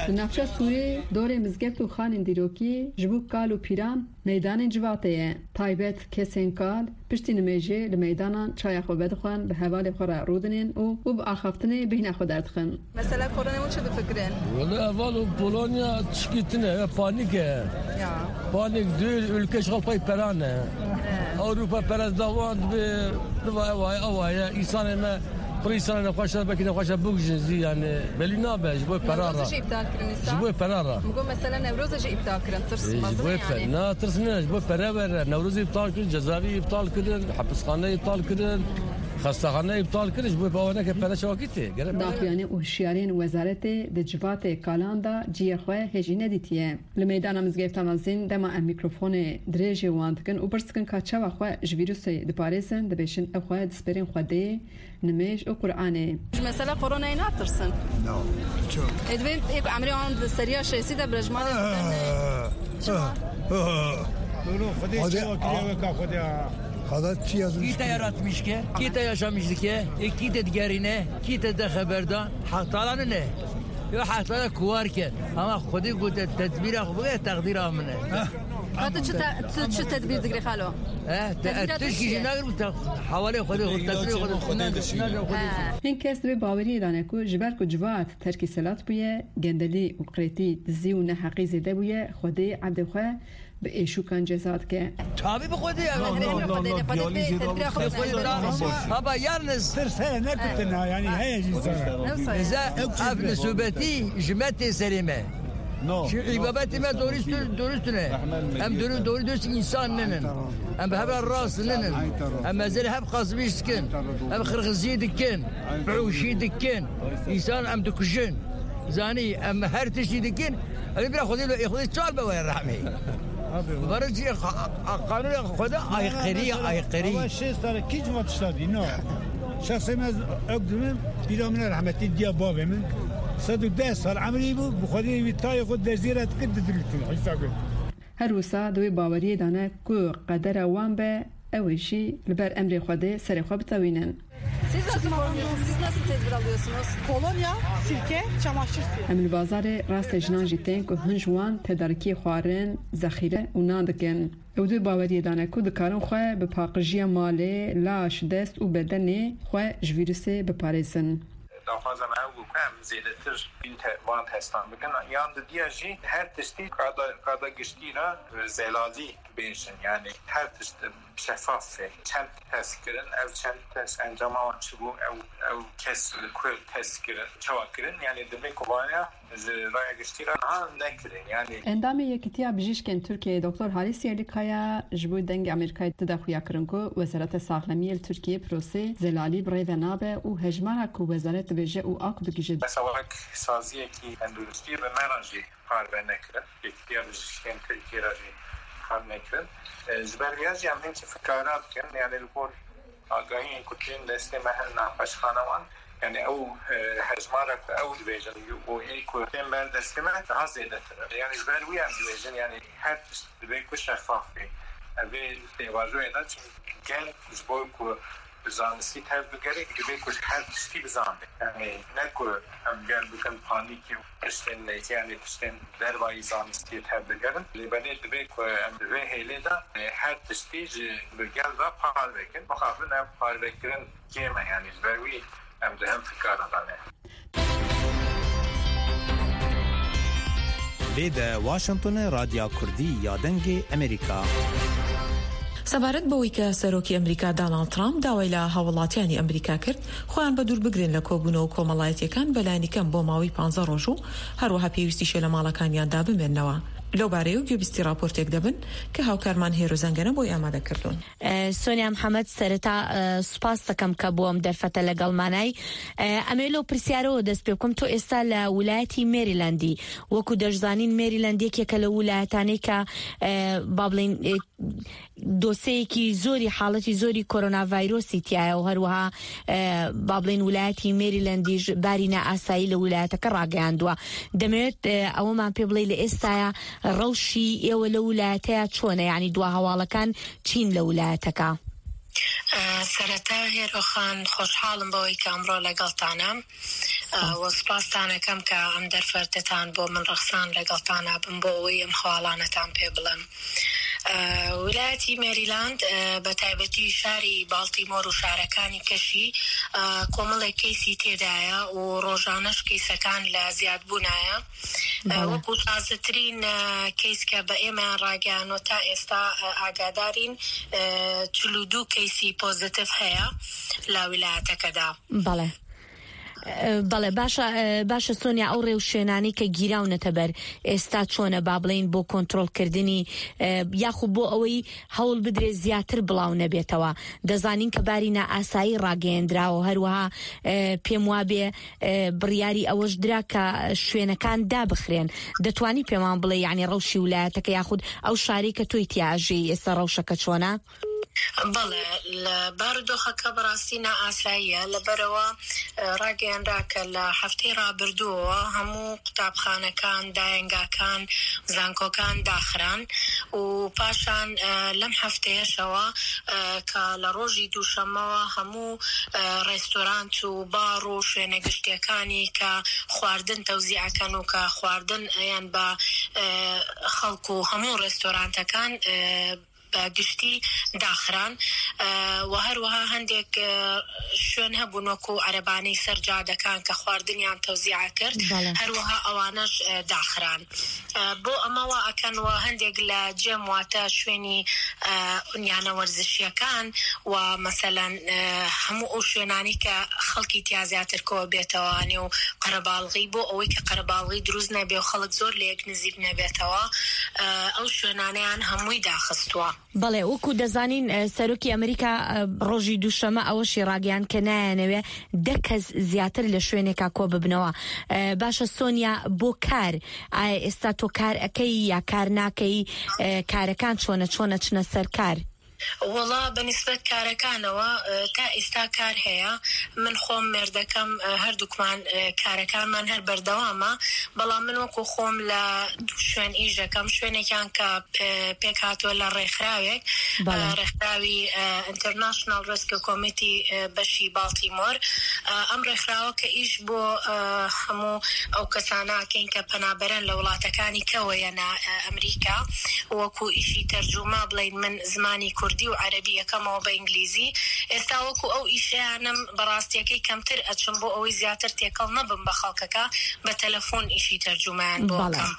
Di navça Sûrê dorê mizgeft û xanên dîrokî ji bo kal û pîran meydanên civatê ye. Taybet kesên kal piştî nimêjê li meydanan çaya xwe vedixwin, bi hevalê xwe re rûdinên û, û bi axaftinê bêhna xwe derdixin. Mesela koronayê hûn çi difikirin? Wele heval û Polonya tişkî tune ye, panîk e. Ya. Panîk dûr, ülke ji xwe pey pera ne. He. Ewropa pere dawan dibe, diva ewa ye, ewa ye. Însanê me, pir însanê nexweş e, belkî nexweş e bigijin zî, yani belî nabe, ji bo pera re. Newroz jî îptal kirin însan. Ji bo pera re. Min got mesela Newroz jî îptal kirin, tirs mezin e yani. E, ji bo pe-, na, tirs ne, ji bo pere were. Newroz îptal kirin, cezaevî îptal kirin, hepisxane îptal kirin, xestexane îptal kirin, ji bo pe-, ewaneke pere çawakî tê. Gerek pere. Daxuyanî û hişyariyên wezaretê di civatê kalan de cihê xwe hêjî nedîtiye. Li meydana Mizgefta Mezin dema em mîkrofonê dirêjê wan dikin û pirs dikin ka çawa xwe ji vîrusê diparêzin, dibêjin ew xwe dispêrin Xwedê, nimêj û Quranê. Ji mesela koronayê natirsin? No, çok. Ê divê êk emrê wan di seriya şêstî de bire ji malê bibin. Ah, çima? Ah, ah. Dûro Xwedê Xwedê, çawa kiriye ah. Weka Xwedê ha. Xwedê çi yazmış? Kî te yaratmış ke? Kî te yaşamış dike? Ê kî te digerîne? Kî te de xeber da? Haq Teala ne? Yo, Haq Teala kuwar ke. Ama Xwedê gote tedbîra xwe bike, teqdîra min e. Ka tu çi te-, tu çi tedbîr digirî xalo? Eh, te-, tedbîra tu tişkî çi ye? Jî nagir, te-, hewalê Xwedê, tedbîra Xwedê. He. Hin kes di wê baweriyê de ne ku ji ber ku civat terkî selat bûye, gendelî û qirêtî, dizî û neheqî zêde bûye, Xwedê ebdê xwe bi êşûkan ceza dike. Tabi bi Xwedê ya. No, no, no, no, diyalîzê de Xwedê, Xwedê, Xwedê, Xwedê. Baba, yalnız tirs heye, ne kutin ha, yani heye jî sana. Eza ev nisûbetî ji me tê serê me. No, no, îbabetê me dorî stû-, dorî stûne. Em dorî, dorî dest însan ninin. Em bi hev re rast ninin. Em mezerê hev qazibîş dikin. Em xirxizî dikin. Biûşî dikin. Însan em dikujin. Zanî, em her tiştî dikin. Em bira Xwedê lo, ê Xwedê çal be were rehmê. Abi, Barajî qa-, qa-, qanûna Xwedê aykırı, aykırı. Ama şêst sene kî civat iştadî, no. Şexsê me ez ew dimin, pîra min e rehmetî diya bavê min. Sed û deh sal emrî bû, bi Xwedê wî tayê xwe dezî re dikir, didilîtin. Hîsa gul. Her wisa di wê baweriyê de ne ku qedera wan be, ew ê jî li ber emrê Xwedê serê xwe bitewînin. Siz nasıl korunuyorsunuz? Siz nasıl tedbir alıyorsunuz? Kolonya, sirke, çamaşır suyu. Em li bazarê rastê jinan jî tên ku hin ji wan tedarikiyê xwarin, zexîre û nan dikin. Ew di baweriyê de ne ku dikarin xwe bi paqijiya malê, laş, dest û bedenê xwe ji vîrusê biparêzin. Daxwaza me ew bû ku em zêdetir bîn te-, van testan bikin. Yan didiya jî her tiştî qada, qada giştî re zelalî bêjin. Yani her tişt şefaf e. Çend test kirin, ev çend test encama wan çi bû, ew, ew kes li ku test kirin, çawa kirin? Yani divê ku vaya ji raya giştî re niha nekirin. Yani Endamê Yekîtiya Bijîşkên Tirkiyeyê Doktor Halis Yerlikaya ji bo Dengê Amerîkayê dide xuya kirin ku Wezareta Saxlemiyê li Tirkiyeyê prosê zelalî bi rê ve nabe û hejmara ku wezaret dibêje û a ku digihîje. Mesela wek saziyekî tenduristiyê bi me re jî parve nekirin. Yekîtiya Bijîşkên Tirkiyê re jî parve nekirin. E, ji ber vêya jî em hinkî fikara dikin, yani li gor agahiyên ku tên destê me hin nexweşxanewan, yani ew, e, hejmara ku ew dibêjin û ê ku tên ber destê me daha zêdetir e. Yani ji ber wî em dibêjin, yani her tişt divê ku şeffaf be. Ev ê pêvajoyê de çi gel ji bo ku bi zanistî tev bigere, divê ku ji her tiştî bizane. Yani ne ku em gel bikin panîkê û tiştên neytê, yani tiştên dervayî zanistiyê tev bigerin. Lê belê divê ku em di vê hêlê de, e, her tiştî ji bi gel ve parve kin. Mixabin ev parvekirin kêm e, yani ji ber wî em di hin fikara de ne. Vê de Washingtonê Radya Kurdî ya Dengê Amerîka. سەبارەت بەوەی کە سەرۆکی ئەمریکا دۆناڵد ترامپ داوای لە هاوڵاتیانی ئەمریکا کرد خۆیان بە دوور بگرن لە کۆبوونەوە کۆمەڵایەتیەکان بە لایەنی کەم بۆ ماوەی پانزە ڕۆژ و هەروەها پێویستیشە لە ماڵەکانیاندا بمێننەوە. لەو بارەیە و گوێبیستی راپۆرتێک دەبن کە هاوکارمان هێرۆ زەنگەنە بۆی ئامادە کردوون. سۆنیا محەممەد، سەرەتا سوپاس دەکەم کە بۆ ئەم دەرفەتە لەگەڵمانای. ئەمێ لەو پرسیارەوە دەست پێ بکەم، تۆ ئێستا لە ولایەتی مێریلەندی، وەکو دەشزانین مێریلەند یەکێکە لە ولایەتانەی کە با بڵین دۆسەیەکی زۆری، حاڵەتی زۆری کۆرۆنا ڤایرۆسی تایە و هەروەها با بڵین ولایەتی مێریلەندیش باری نائاسایی لە ولایەتەکە ڕاگەیاندووە. دەمەوێت ئەوەمان پێ بڵێ لە ئێستاە ڕەوشی ئێوە لە ولایەتەیە چۆنە، یعنی دوا هەواڵەکان چین لە ولایەتەکە؟ سەرەتا هێرۆخان، خۆشحاڵم بەوەی کە ئەمڕۆ لەگەڵتانم. وە سپاستانەکەم کە ئەم دەرفەتەتان بۆ من ڕەخسان، لەگەڵتانە بم بۆ ئەوەی ئەم هەواڵانەتان پێ بڵێم. ولایەتی مێریلاند، بە تایبەتی شاری باڵتیمۆر و شارەکانی کەشی، کۆمەڵێک کەیسی تێدایە و ڕۆژانەش کەیسەکان لە زیادبوونایە. وەکو تازەترین کەیس کە بە ئێمە ڕاگەیانەوە، تا ئێستا ئاگادارین، چل و دوو کەیسی پۆزیتیڤ هەیە لە ویلایەتەکەدا. بەڵێ. بەڵێ، باشە. باشە سۆنیا، ئەو ڕێوشوێنانەی کە گیراونەتە بەر ئێستا چۆنە، با بڵین بۆ کۆنتترۆلکردنی، یاخود بۆ ئەوەی هەوڵ بدرێت زیاتر بڵاو نەبێتەوە؟ دەزانین کە باری نائاسایی ڕاگەیەندراوە، هەروەها پێم وابێ بڕیاری ئەوەش درا کە شوێنەکان دابخرێن. دەتوانی پێمان بڵێ، یعنی ڕەوشی ولایەتەکە یاخود ئەو شارەی کە تۆی تیاژەی ئێستا ڕەوشەکە چۆنە؟ بەڵێ، لە بارودۆخەکە بەڕاستی نائاساییە، لەبەرەوە ڕاگەیەنرا کە لە هەفتەی ڕابردووەوە هەموو قوتابخانەکان، دایەنگاکان، زانکۆکان داخران و پاشان لەم هەفتەیەشەوە کە لە ڕۆژی دووشەمەوە هەموو ڕێستۆرانت و باڕ و شوێنە گشتیەکانی کە خواردن تەوزیعەکەن و کە خواردن ئەیان بە خەڵک و هەموو ڕێستۆرانتەکان بە گشتی داخران و هەروەها هەندێک شوێن هەبوون وەکو عەرەبانەی سەر جادەکان کە خواردنیان تەوزیع کرد، هەروەها ئەوانەش داخران. بۆ ئەمەوە ئەکەن و هەندێک لە جێم، واتە شوێنی ئونیانە وەرزشیەکان و مەسەلەن هەموو ئەو شوێنانی کە خەڵکی تیا زیاتر کۆ بێتەوە نێو قەرەباڵغی، بۆ ئەوەی کە قەرەباڵغی دروست نەبێ و خەڵک زۆر لە یەک نزیک نەبێتەوە، ئەو شوێنانەیان هەمووی داخستووە. بەڵێ، وەکو دەزانین، سەرۆکی ئەمریکا ڕۆژی دووشەمە ئەوەشی ڕاگەیان کە نایەنەوێ دە کەس زیاتر لە شوێنێکا کۆ ببنەوە. باشە سۆنیا، بۆ کار، ئایا ئێستا تۆ کار ئەەکەی یا کار ناکەی؟ کارەکان چۆنە، چۆنە چنە سەر کار؟ وەڵا بە نیسبەت کارەکانەوە، تا ئێستا کار هەیە. من خۆم مێردەکەم، هەردووکمان کارەکانمان هەر بەردەوامە، بەڵام من وەکو خۆم لە دوو شوێن ئیش دەکەم. شوێنێکیان کە پێک هاتووە لە ڕێکخراوێک، ڕێکخراوی International Rescue Committee، بەشی باڵتیمۆر. ئەم ڕێکخراوە کە ئیش بۆ هەموو ئەو کەسانە ئەکەین کە پەنابەرن لە وڵاتەکانی کەوەیەنە ئەمریکا، وەکو ئیشی تەرجومە بڵین، من زمانی کوردی و عەرەبی یەکەمەوە بە ئینگلیزی. ئێستا وەکو ئەو ئیشەیانم بەڕاستیەکەی کەمتر ئەچم بۆ ئەوەی زیاتر تێکەڵ نەبم بە خەڵکەکە، بە تەلەفۆن ئیشی تەرجومەیان بۆ بکەم.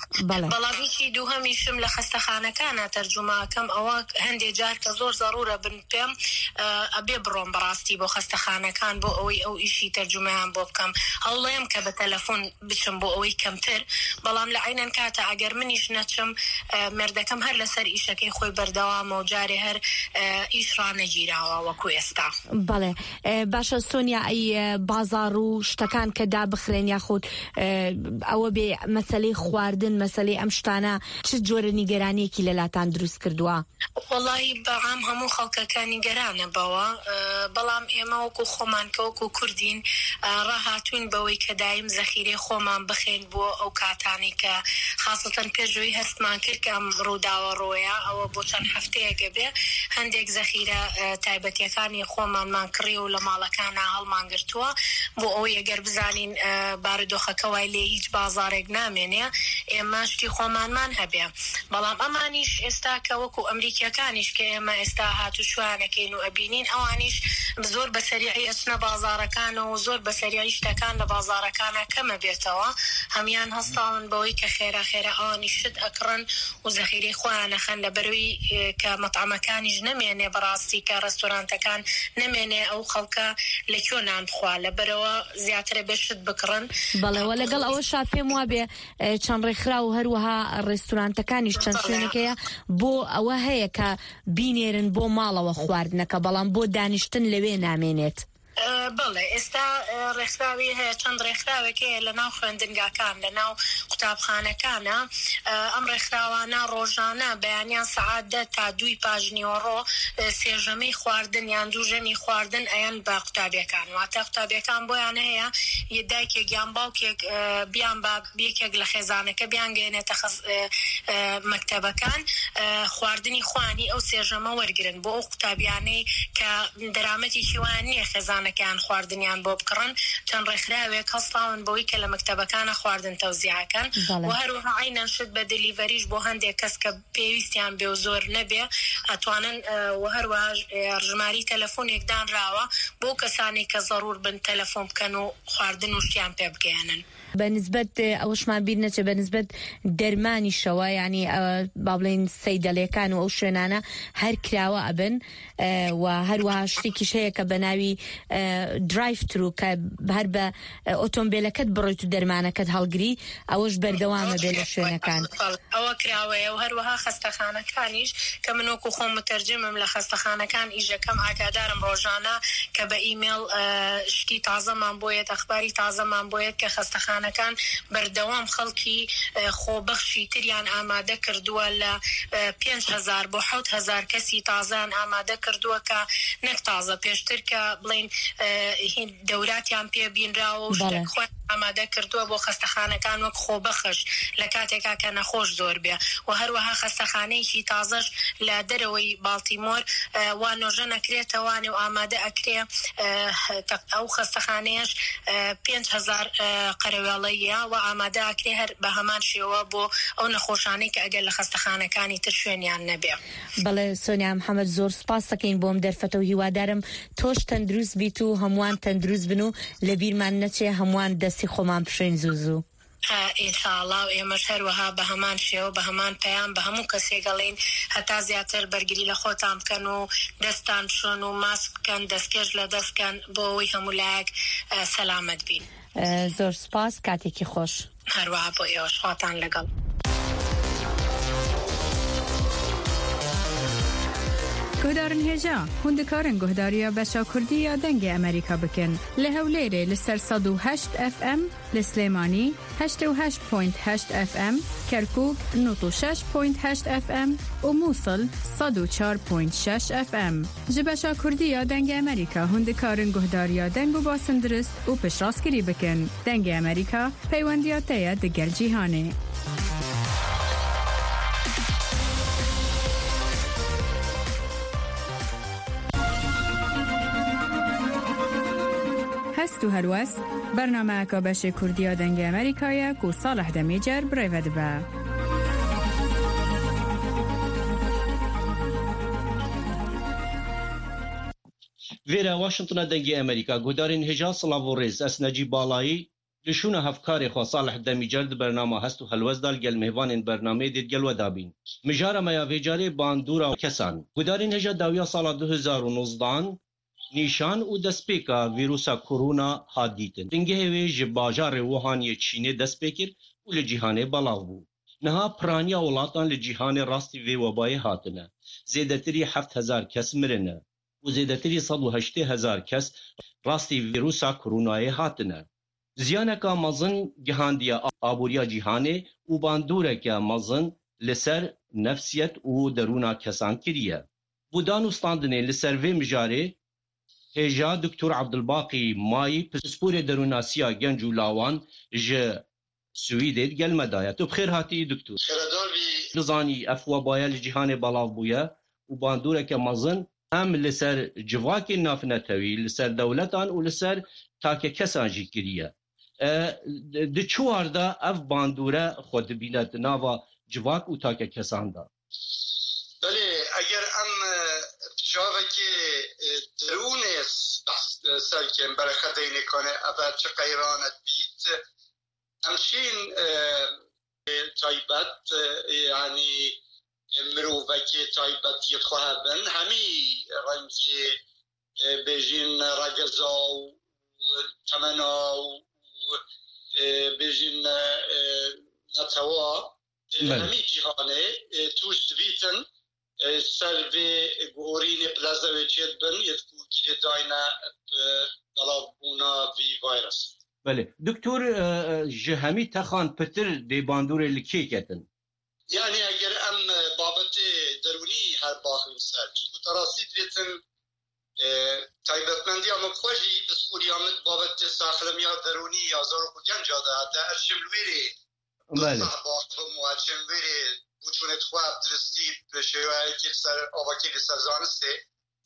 بەڵام ئیشی دووهەمیشم لە خەستەخانەکانە تەرجومەکەم، ئەوە هەندێک جار کە زۆر زەڕورە بن پێم، ئەبێ بڕۆم بەڕاستی بۆ خەستەخانەکان بۆ ئەوەی ئەو ئیشی تەرجومەیان بۆ بکەم. هەوڵێم کە بە تەلەفۆن بچم بۆ ئەوەی کەمتر، بەڵام لە عینەن کاتە ئەگەر منیش نەچم، مێردەکەم هەر لەسەر ئیشەکەی خۆی بەردەوامە و جارێ هەر ئیش ڕانەگیراوە وەکو ئێستا. بەڵێ. باشە سۆنیا، ئەی بازار و شتەکان کە دابخرێن یاخود ئەوە بێ مەسەلەی خواردن، مەسەلەی ئەم شتانە، چ جۆرە نیگەرانیەکی لەلاتان دروست کردووە؟ وەڵاهی بەعام هەموو خەڵکەکە نیگەرانە بەوە، بەڵام ئێمە وەکو خۆمان کە وەکو کوردین، ڕاهاتوین بەوەی کە دایم زەخیرەی خۆمان بخەین بۆ ئەو کاتانی کە خاصەتەن پێشەوەی هەستمان کرد کە ئەم ڕووداوە ڕۆیە، ئەوە بۆ چەند هەفتەیەکە بێ هەندێک زەخیرە تایبەتیەکانی خۆمانمان کڕی و لە ماڵەکانە هەڵمان گرتووە، بۆ ئەوەی ئەگەر بزانین بارودۆخەکە وای لێ هیچ بازارێک نامێنێ، ئێمە شتی خۆمانمان هەبێ. بەڵام ئەمانیش ئێستا کە وەکو ئەمریکیەکانیش کە ئێمە ئێستا هاتوو شوانەکەین و ئەبینین، ئەوانیش زۆر بە سەریعی ئەچنە بازارەکانەوە و زۆر بە سەریعی شتەکان لە بازارەکانە کەمە بێتەوە. هەمان هەستاون بەوەی کە خێرا خێرا ئەوانیش شت ئەکڕن و زەخیرەی خۆیان ئەخەن، لە بەروی کە مەتعەمەکانیش نەمێنێ بەڕاستی کە ڕێستۆرانتەکان نەمێنێ ئەو خەڵکە لە کوێ نان بخوا، لە بەرەوە زیاترە بێ شت بکڕن. بەڵێ، وە لەگەڵ ئەوەشا پێم وابێ، ئە، چەند ڕێکخراو و هەروەها ڕێستورانتەکانیش چەند بەڵێ. شوێنێکەیە بۆ ئەوە هەیە کە بینێرن بۆ ماڵەوە خواردنەکە، بەڵام بۆ دانیشتن لەوێ نامێنێت. ئە، بەڵێ، ئێستا، ئە، ڕێکخراوی هەیە، چەند ڕێکخراوێک هەیە لە ناو خوێندنگاکان، لە ناو قوتابخانەکانە. ئە، ئەم ڕێکخراوانە ڕۆژانە بەیانیان سەعات دە تا دووی پاش نیوەڕۆ، ئە، سێ ژەمەی خواردن یان دوو ژەمی خواردن ئەیەن بە قوتابیەکان. واتە قوتابیەکان بۆیان هەیە، یە دایکێک یان باوکێک، ئە، بیان با یەکێک لە خێزانەکە بیان گەێنێتە خەز-، ئە، ئە، مەکتەبەکان، ئە، خواردنی خوانی ئەو سێ ژەمە وەرگرن بۆ ئەو قوتابیانەی کە دەرامەتێکی وایان نییە خێزانەکەیان خواردنیان بۆ بکڕن. چەند ڕێکخراوێک هەڵساون بەوەی کە لە مەکتەبەکانە خواردن تەوزیعەکەن. بەڵێ. و هەروەها عینەن شت بە دلیڤەریش بۆ هەندێک کەس کە پێویستیان بێ و زۆر نەبێ، ئەتوانن، ئە، و هەروەها، ئە، ژماری تەلەفۆنێک دانراوە بۆ کەسانی کە زەڕور بن تەلەفۆن بکەن و خواردن و شتیان پێ بگەیەنن. بە نسبەت، ئە، ئەوەشمان بیر نەچێ، بە نسبەت دەرمانیشەوە، یعنی، ئە، با بڵێن سەیدەلێکان و ئەو شوێنانە هەر کراوە ئەبن، ئە، و هەروەها شتێکیش هەیە کە بە ناوی، ئە، درایڤ ترو، کە هەر بە، ئە، ئۆتۆمبیلەکەت بڕیت و دەرمانەکەت هەڵگری، ئەوەش بەردەوامە بێ لە شوێنەکان. ئەوە کراوەیە و هەروەها خەستەخانەکانیش کە من وەکو خۆم متەرجمم لە خەستەخانەکان ئیش ئەکەم، ئاگادارم ڕۆژانە کە بە ئیمێڵ، ئە، شتی تازەمان بۆیەت، ئەخباری تازەمان بۆیەت کە خەستەخانەکان بەردەوام خەڵکی، ئە، خۆبەخشی تریان ئامادە کردووە لە، ئە، پێنج هەزار بۆ حەوت هەزار کەسی تازەیان ئامادە کردووە کە نەک تازە، پێشتر کە بڵین، ئە، هین دەوراتیان پێ بینراوە و بەڵێ. شتێک خۆیان ئامادە کردووە بۆ خەستەخانەکان وەک خۆبەخش لە کاتێکا کە نەخۆش زۆر بێ و هەروەها خەستەخانەیەکی تازەش لە دەرەوەی باڵتیمۆر، ئە، وا نۆژە نەکرێتەوانێ و ئامادە ئەکرێ، ئە، تەق-، ئەو خەستەخانەیەش، ئە، پێنج هەزار، ئە، قەرەوێڵەیە و ئامادە ئەکرێ هەر بە هەمان شێوە بۆ ئەو نەخۆشانەی کە ئەگەر لە خەستەخانەکانی تر شوێنیان نەبێ. بەڵێ، سۆنیا محەممەد، زۆر سپاس دەکەین بۆم دەرفەتە و هیوادارم تۆش تەندروست بیت و هەمووان تەندروست بن و لە بیرمان نەچێ هەمووان دەستی خۆمان بشۆین زوو زوو. ئە، ئینشاءالله و ئێمەش هەروەها بە هەمان شێوە، بە هەمان پەیام، بە هەموو کەسێک ئەڵێین هەتا زیاتر بەرگری لە خۆتان بکەن و دەستان بشۆن و ماسک بکەن، دەستکێش لە دەستکەن بۆ ئەوەی هەموو لایەک، ئە، سەلامەت بین. ئە، زۆر سپاس، کاتێکی خۆش. هەروەها بۆ ئێوەش، خواتان لەگەڵ. Guhdarên hêja, hûn dikarin guhdariya beşa Kurdî ya Dengê Amerîka bikin. Li Hewlêrê li ser sed û heşt F M, li Silêmanî heştê û heşt point heşt F M, Kerkûk nod û şeş point heşt F M û Mûsil sed û çar point şeş F M. Ji beşa Kurdî ya Dengê Amerîka hûn dikarin guhdariya deng û basindrist û piştrastgirî bikin. Dengê Amerîka, peywendiya te ye digel cîhanê. Hest û helwest, bernameyeka beşê Kurdî ya Dengê Amerîka ye ku Salih Demîcer bi rê ve dibe. Vêre Washingtona Dengê Amerîka, guhdarên hêja, silav û rêz. Ez Necîb Balayî, li şûna hevkarê xwe Salih Demîcer di bernama Hest û Helwest de li gel mêvanên bernameyê dê digel we dabîn. Mijara me ya vê carê bandora kesan. Guhdarên hêja, dawiya sala du hezar û nozdehan nîşan û destpêka vîrusa korona hat dîtin. Bingehê wê ji bajarê Wuhan yê Çînê dest pê kir û li cîhanê belav bû. Niha piraniya welatan li cîhanê rastî vê webayê hatine. Zêdetirî heft hezar kes mirine û zêdetirî sed û heştê hezar kes rastî vîrusa koronayê hatine. Ziyaneke mezin gihandiye aboriya cîhanê û bandoreke mezin li ser nefsiyet û derûna kesan kiriye. Bo dan û standinê li ser vê mijarê hêja Doktor Abdulbaqî Mayî, pisporê derûnasiya genc û lawan ji Swîdê, di gel me de ye. Tu bi xêr hatî, Doktor. Xêredar bî. Dizanî ev webaya li cîhanê belav bûye û bandoreke mezin hem li ser civakên navnetewî, li ser dewletan û li ser takekesan jî kiriye. E, di çi war de ev bandore xwe dibîne di nava civak û takekesan de? Belê, eger em, e, bi çavekê, e, derûnê behs, e, ser bikin, berxedeyne kane ev çi qeyranet bît, em şîn, e, e, taybet, e, yanî, e, mirovekê taybetiyê xwe hebin, hemî rengê e, bêjin regeza û temena û, e, bêjin, e, netewa, e, Belê. hemî cîhanê, e, tûş dibîtin, e, ser vê guhorînê bi leze wê çêdibin, yê ku girêdayne bi belavbûna vî vayrasî. Belê. Doktor, e, e, ji hemî texan pitir dê bandorê li kê ketin? Yani eger em, e, babetê derûnî her baxin ser, çunku te rastî dibêtin, e, taybetmendiya min xwe jî bi sîpûriya min babetê saxlemiya derûnî ya zarok û genca de, de ez çim li wê rê Belê. Sax baxivim û ez çim li wê rê boçûnê xwe bi diristî bi şêweyekî li ser avakî li ser zanistê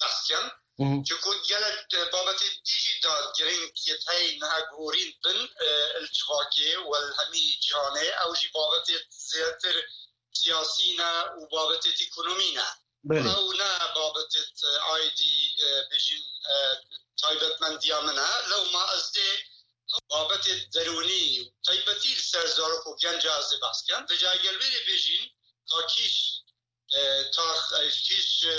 behs kim. Hı hı. Çunku gelek, e, babetê dî jî da girîng yê hey niha guhorîn bin, e, li civakê û li hemî cîhanê. Ew jî babetê zêdetir siyasî ne û babetê ekonomî ne. Belê. Ew ne babetê, e, aydî, e, bêjin, e, taybetmendiya min e. Lewma ez dê babetê derûnî û taybetî li ser zarok û genca ez dê behs kim. Vêca gel wê rê bêjîn ka kîş, e, tax, e, kîş, e,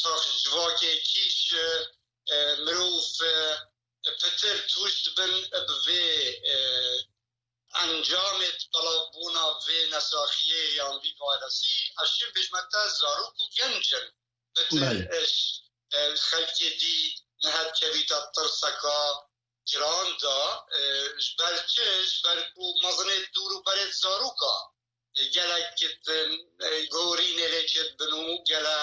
tax civakê, kîş, e, e, mirov, e, pitir tûş dibin bi vê, e, encamê belavbûna vê nesaxiyê yan vî vayrasî, ez şim bêjme te zarok û genc in. Pitir Belê. e, ş-, e, xelkê dî niha dikevîte tirseka giran de, e, ji ber çi? Ji ber ku mezinê dûr û berê zaroka, e, gelek, e, gorînê lê çêdibin û gele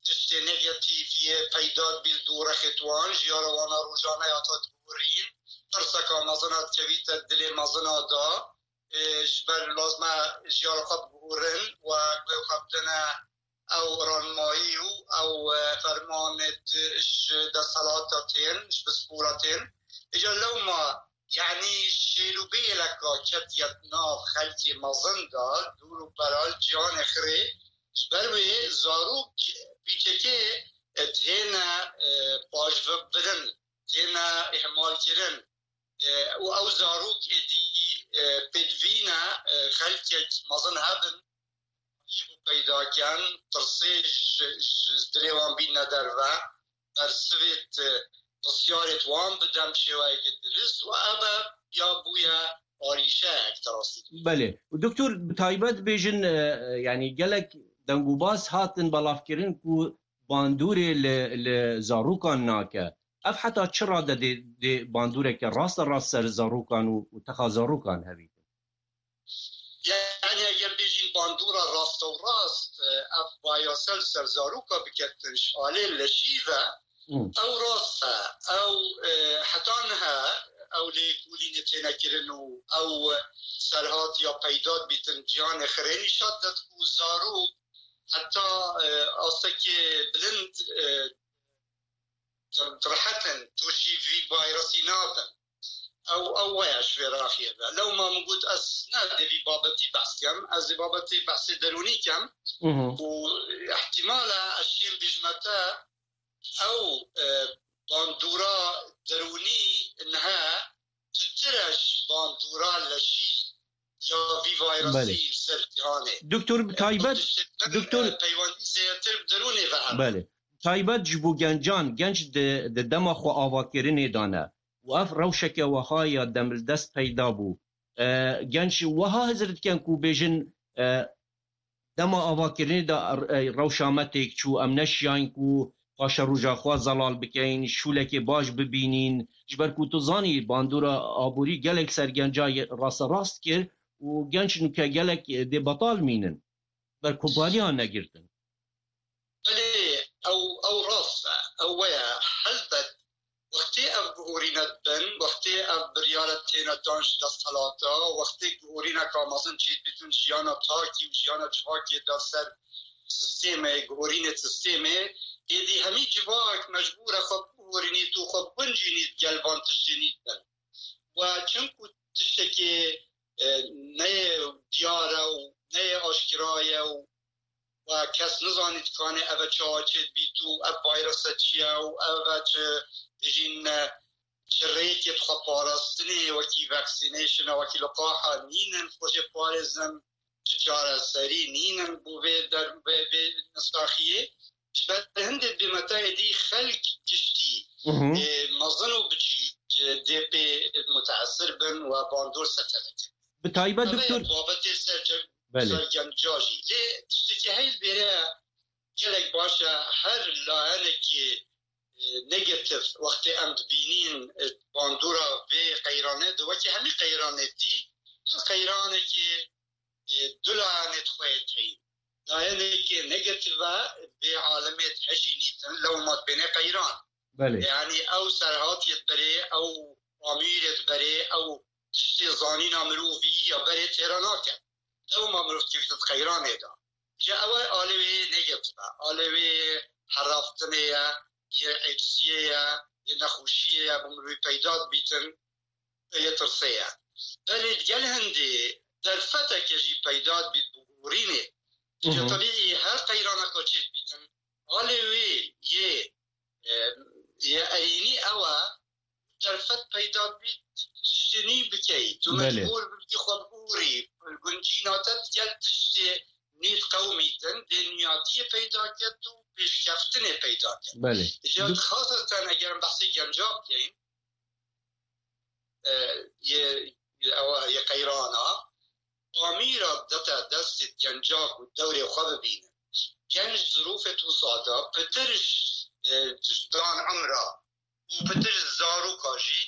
tiştê negatîf yê peyda dibî li dû rexê wan, jiyara wan a rojane ya te diguhurîn, tirseka mezin a dikevîte dilê mezina de, e, ji ber lazim e jiyara xwe biguhurin û guhê xwe bidine ew ranmayî û ew, e, fermanê ji desthilata tên, ji bispora tên. Îcar lewma, yanî şêl û bêleka ketiye di nav xelkê mezin de, dûr û beral ciyanê xirê, ji ber wê zarok pîçekê, e, têne, e, paşvebirin, têne îhmalkirin. E, û ew zarok êdî, e, pêdivî ne, e, xelkek mezin hebin, yê bû peyda ken, tirsê ji, ji dilê wan bîne derve, bersivê, e, pisyarê wan bidem şêweyeke dirist û ev e ya bûye arîşeyek te rastî. Belê. Û doktor, bi taybet bêjin, e, e, yanî gelek dengûbas hatin belavkirin ku bandorê li, li zarokan nake. Ev heta çi rade dê, dê bandoreke raste rast ser zarokan û, û texa zarokan hevîtin? Yani eger bêjîn bandora raste û rast, e, ev bayase li ser zaroka biketin ji alê leşî ve, Hmm. ew rast e, ew, e, heta niha ew lêkolînê têne kirin û ew serhatiya peyda dibîtin ciyanê xirê nîşan de ku zarok heta, e, astekê bilind, e, rehet in, tûşî vî vayrasî nabin. Ew, ew waya ji vê raxiyê ve. Lewma min got ez ne dê vî babetî behs kem, ez ê babetê behsê derûnî kem. Mhm. Û ihtimal e ez şêm bêjme te ew, e, bandora derûnî niha pitir e ji bandora leşî ya vî vayrasî Belê. li ser cîhanê. Doktor, bi taybet, Tiştê din, doktor e, peywendî zêdetir bi derûnê ve hebe. Belê. Taybet ji bo gencan, genç di, di dema xwe avakirinê de ne. Û ev rewşeke weha ya demildest peyda bû. E, genç weha hizir dikin ku bêjin, e, dema avakirinê de, e, rewşa me têk çû, em neşiyayîn ku paşeroja xwe zelal bikeyin, şûlekê baş bibînîn. Ji ber ku tu zanî bandora aborî gelek ser genca ye-, rasterast kir û genç nûke gelek, e, dê betal mînin. Ber kompaniyan negirtin. Belê, ew, ew rast e. Ew weye. Helbet, wextê ev guhorîne dibin, wextê ev biryare têne dan ji desthilata, wextê guhorîneka mezin çêdibîtin jiyana takî û jiyana civakê de ser sistêmê, guhorînê sistêmê, êdî hemî civak mecbûr e xwe biguhorînît û xwe biguncînît gel van tiştê nî dibin. We çimku tiştekê, e, neyê diyar e û neyê aşkira ye û we kes nizanî dikanê ev e çawa çêdibît û ev vayrasa çi ye û ev e çi dijîn, e, çi rêkê dixwe parastinê wekî vaccination e, wekî liqaha nînin xwe jê parêzin, çi çareserî nînin bo vê der-, vê, vê nisaxiyê. Ji ber hindê dibê me te êdî xelk giştî, Hı hı. e, mezin û biçîk, e, dê pê muteesir bin û bandor ser te dikin. Bi taybet Ev e doktor. Babetê ser cem-, Belê. ser genca jî. Lê tiştekî heyl bêre gelek baş e, her layenekî, e, negatif wextê em dibînîn, e, bandora vê qeyrane de wekî hemî qeyranê dî, her qeyranekî, e, du layenê di xwe yê teyîn. Layenekê negatif e, vê alemê hejî nîtin, lewma dibêne qeyran. Belê. Yani ew serhatiyê diberê, ew amîrê diberê, ew tiştê zanîna mirovî ya berê têra nake. Lewma mirov dikevîte di qeyranê de. Ji ew e alê wê negatif e. Alê wê heraftinê ye, yê eciziyê ye, yê nexweşiyê ye, bi mirovî peyda dibîtin, yê tirsê ye. Belê gel hindê derfeteke jî peyda dibît bi gorînê. Hı Îca hı. tebîî her qeyraneka çê dibîtin. Alê wê yê, e, yê erênî ew e, derfet peyda dibît, tiştê nî bikey. Tu Belê. mecbûr bibî xwe bigorî, guncîna te digel tiştê nî diqewimîtin, dê niyatiyê peyda ket û pêşkeftinê peyda ket. Belê. Îca Du- xaseten eger em behsê genca bikeyin, e, yê, yê, ewa, yê qeyrana, amîra dete destê genca ku dewrê xwe bibînin. Genc zirûfê tu sada pitir, e, dan emra û pitir zaroka jî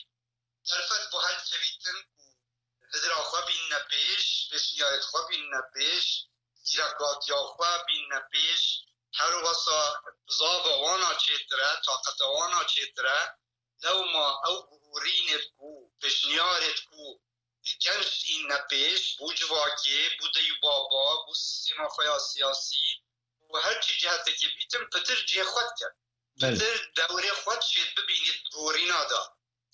derfet bo hel sevîtin ku hizra xwe bînine pêş, pêşniyarêt xwe bînine pêş, zîrekatiya xwe bînine pêş, her wesa bizava wana çêtir e, taqeta wana çêtir e, lewma ew guhorînêt ku, pêşniyarêt ku genc înine pêş, bû civakê, bû dey û baba, bû sîstêma xwe ya siyasî û her çi cihetekê bîtin, pitir cihê xwe dikin. Belê. Pitir dewrê xwe dişêt bibînît gorîna de.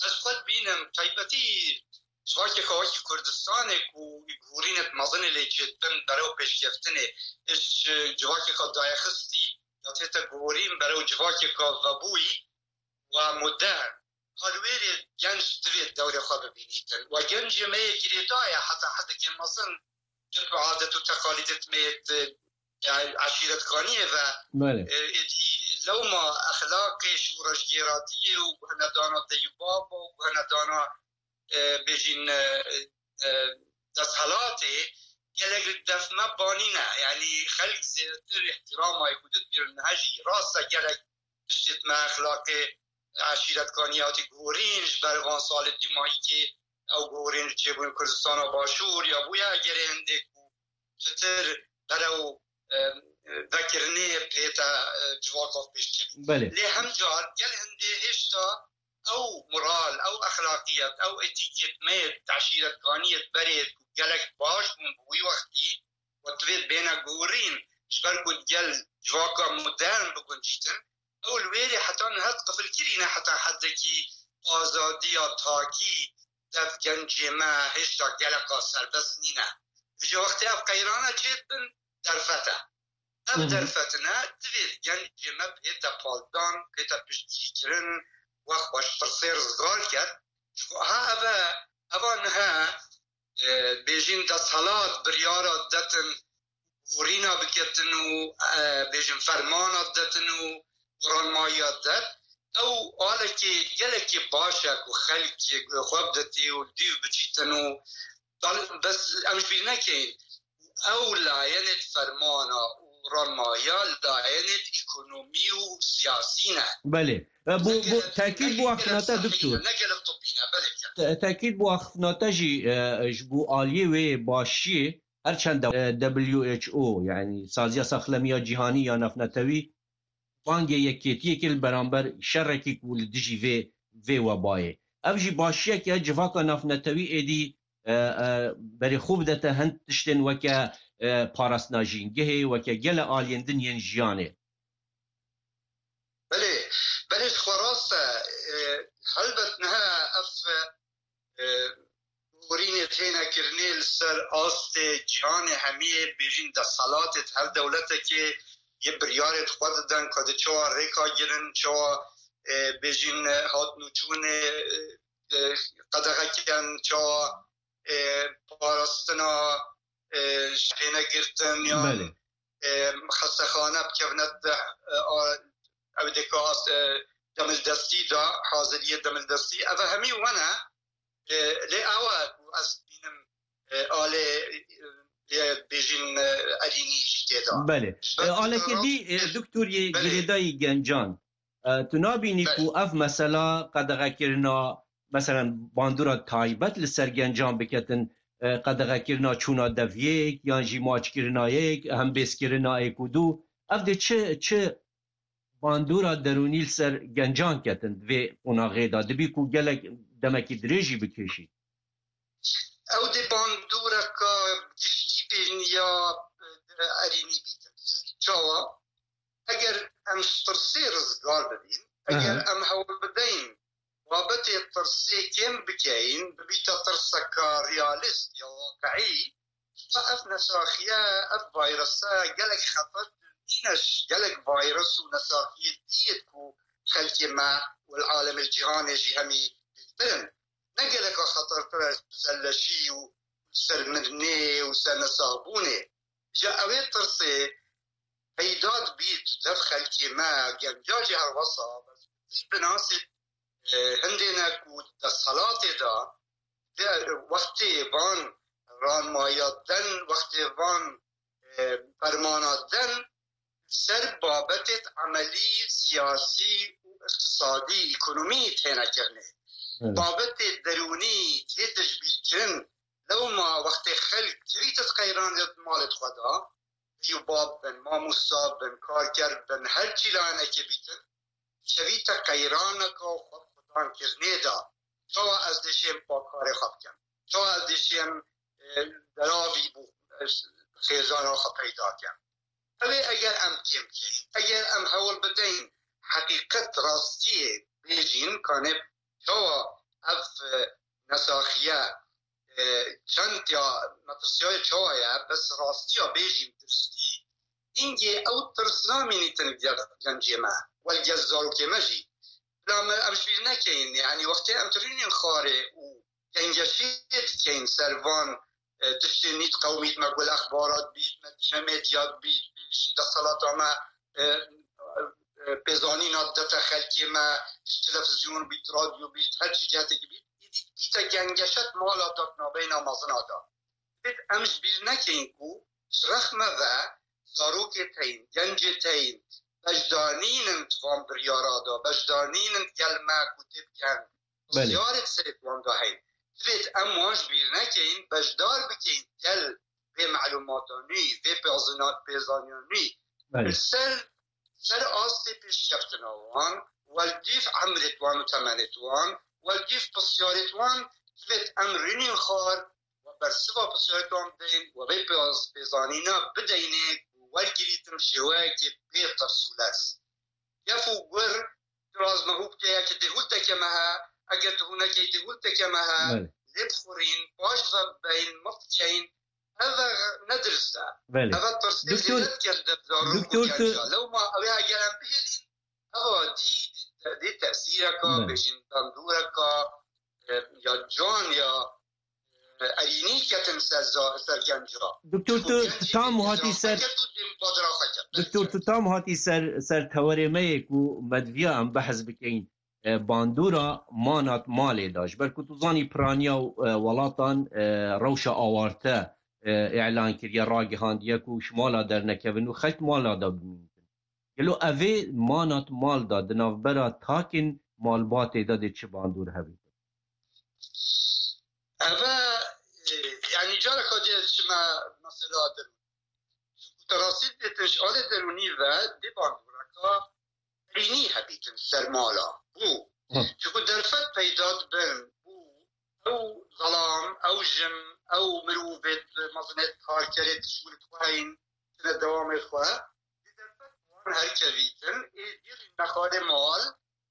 Ez xwe dibînim, taybetî civakê xwe wekî Kurdistanê ku gorînêt mezinê lê çêdibin berew pêşkeftinê, iş civakê xwe daye xistî, ya tête gorîn berew civakê xwe vebûyî, wa modern. Halwêrê genc divê dewrê xwe bibînîtin. Wa gencê me yê girêdayê heta hedekê mezin, cip û adet û teqalîdêt me yê, e, eşîretkaniyê ve, Belê. e, êdî lewma exlaqê şûreşgêratiyê û guhenedana dey û baba û guhenedana, e, bêjîn, e, e, desthilatê gelek li def me banîne. Yanî xelk zêdetir îhtîramayê ku didgirin niha jî rast e gelek tiştêt me exlaqê eşîretkaniyê hatî guhorîn ji ber van salê dîmayîkê ew guhorîn li çêbûyên Kurdistana Başûr ya bûye egerê hindê ku pitir berew, e, vekirinê pête, e, civaka pêş dikevî. Belê. Lê hemcar gel hindê hêşta ew moral, ew exlaqiyet, ew etîkêt me yê eşîretkaniyê berê ku gelek baş bûn bi wî wextî, we divê bêne guhorîn, ji ber ku gel civaka modern biguncîtin, ew li wêrê heta niha diqifilkirîne heta hedekî azadiya takî dev gencê me hêşta geleka serbest nîne. Vêca wextê ev qeyrane çêdibin, derfet e. Ev Hı hı. derfetine divê gencê me bihête paldan, bihête piştgirîkirin, wext xwe ji pirsê rizgar ket. Çunku ha ev e, eva niha, e, bêjîn desthilat biryara detin gorîna biketin û, e, bêjin fermana detin û ranmayiya det. Ew alekê gelekê baş e ku xelk xwe bidetê û dîv biçîtin û dal-, bes em ji bîr nekeyin. Ew layenê fermana û ranmayiya layenê ekonomî û siyasî ne. Belê. E, bu, Ne bu gelek, tekîd ne bu gelek axifnate sihî doktor. ne, ne gelek tibbî ne, belê ki. Te-, tekîd bu axifnate jî, e, ji bu aliyê wê başiyê, her çend, e, W H O, yani Saziya Saxlemiya Cîhanî ya Navnetewî, bangê yekêtiyekê li beramber şerekî ku li dijî vê, vê webayê. Ev jî başiyek e, civaka navnetewî êdî, e, e, berê xwe bidete hin tiştên weke, e, parastina jîngehê, weke gele aliyên din yên jiyanê. Belê, belê ji xwe rast e. E, helbet niha ev, e, gorînê têne kirinê li ser astê cîhanê hemiyê bêjîn desthilatê di her dewletekê yê biryarê di xwe didin ku di çawa rêka girin, çawa, e, bêjîn, e, hatnûçûnê, e, e, qedexe kirin, çawa, e, parastina, e, pênegirtin yan Belê. e, xestexane bikevine di, e, a, ew dê ka, e, demildestî de, haziriyê demildestî. Ev hemî wane, e, lê ew e ku ez dibînim, e, alê, e, yê bêjin, e, erînî jî tê de. Belê. Ji ber E, aleke vî, e, Doktor yê Belê. girêdayî gencan. E, tu nabînî Belê. ku ev mesela qedexekirina, meselen, bandora taybet li ser gencan biketin, e, qedexekirina çûna deviyêk, yan jî maçkirina yek, hembêzkirina êk û du. Ev dê çi, çi bandora derûnî li ser gencan ketin di vê qonaxê de? Dibî ku gelek demekî dirêj jî bikêşî. Ew dê bandoreka giştî bêjin ya, e, erînî bîtin ser. Çawa? Eger em ji tirsê rizgar bibîn, eger Aha. em hewl bideyin babetê tirsê kêm bikeyin, bibîte tirseka realîst ya waqiî, ji bo ev nesaxiye, ev vayrese gelek xeter nîne ji gelek vayrus û nesaxiyê diyê ku xelkê me û li alemê cîhanê jî hemî pêktir in. Ne geleka xetertir e ser leşî û ser mirinê û ser nesaxbûnê. Ji ew ê tirsê peyda dibît dev xelkê me, genca jî herwesa, bes binasî, e, hindê ne ku desthilatê de, de wextê van ranmaya den, wextê van, e, fermana den, ser babetê emelî, siyasî û îqtisadî, ekonomî têne kirinê. Evet. Babetê derûnî tê tejbîrkirin, lewma wextê xelk kirîte qeyranê malê xwe de, Bî û bab bin, mamosta bin, karker bin, her çi layinekê bîtin, kevîte qeyraneka xwe bi xudan kirinê de. Çawa ez dê şêm pakarê xwe bikim? Çawa ez dê şêm, e, deravî bo, e, xêzana xwe peyda kim? Ew ê eger em kêm bikeyin, eger em hewl bideyin heqîqet rastiyê bêjîn, kanê çawa ev, e, nesaxiye, e, çend ya metirsiyayê çawa ye, bes rastiya bêjîm diristî, hingê ew tirs namînîtin gel gencê me, wel gel zarokê me jî. Bila me ev ji bîr nekeyin, yanî wextê em tirînên xwarê û gengeşê dikeyin ser van, e, tiştên nît qewmît me, gul exbarat bît, me dîne medya bît, bêjin desthilata me, e, e, pêzanîna dete xelkê me, ji televizyon bît, radyo bît, her çi ciheteke bît, êdî bîte gengeşet mala de navbeyna mezina de. Dibêt em ji bîr nekeyin ku ji rexme ve zarokê te yên, gencê te yên, beşdar nînin di van biryara de, beşdar nînin gel me ku tê bikin. Belê. Pisyarê di serê wan de heyî. Divêt em wan ji bîr nekeyin, beşdar bikeyin gel vê melûmata nû, vê pêzina-, pêzaniya nû. Belê. Li ser, ser astê pêşkeftina wan, welgîf emrê wan û temenê wan, welgîf pisyarê wan, divêt em rûnên xar, we bersiva pisyarê wan bideyên, we vê pêz-, pêzanîna bideyinê ku wergirîtin şêweyekê bê tirs û lez. Gef û gur, tu raz me hû bike, yekê dêhûlteke me he, eger tu hû nekey dêhûlteke me he, Belê. lê bixurîn, paş ve bibeyin, mif bikeyin, ev ne dirist e. Belê. Ev tirsê Doktor, zêde dikir di zarok û doktor, tu genca. Lewma ew ê eger em bihêlîn, ev dî, dî, dî tesîreka, Belê. bêjin bandoreka, e, ya can ya, erînî ketin ser za-, ser genca. Doktor, tu, tu tam hatî ser, Doktor, tu tam hatî ser, ser tewerê me yê ku me diviya em behs bikeyin, e, bandora manat malê de. Ji ber ku tu zanî piraniya, e, welatan, e, rewşa awarte, e, îlan kiriye, ragihandiye ku ji mala dernekevin û xelk mala de bimînin. Gelo evê manat mal de di navbera takên malbatê de dê çi bandor hevîtin? Eve, e, yani careka dê çime mesela derûn. Çunku te rastî dibêtin ji alê derûnî ve dê bandoreka erînî hebîtin ser mala. Bû. Hı. Çunku derfet peyda dibin. Bû. Ew zelam, ew jin, ew mirovê mezinê karkerê di şûlê xwe heyîn, tine dewamê xwe. Di derfet wan herkevîtin, ê dî rî nexalê mal,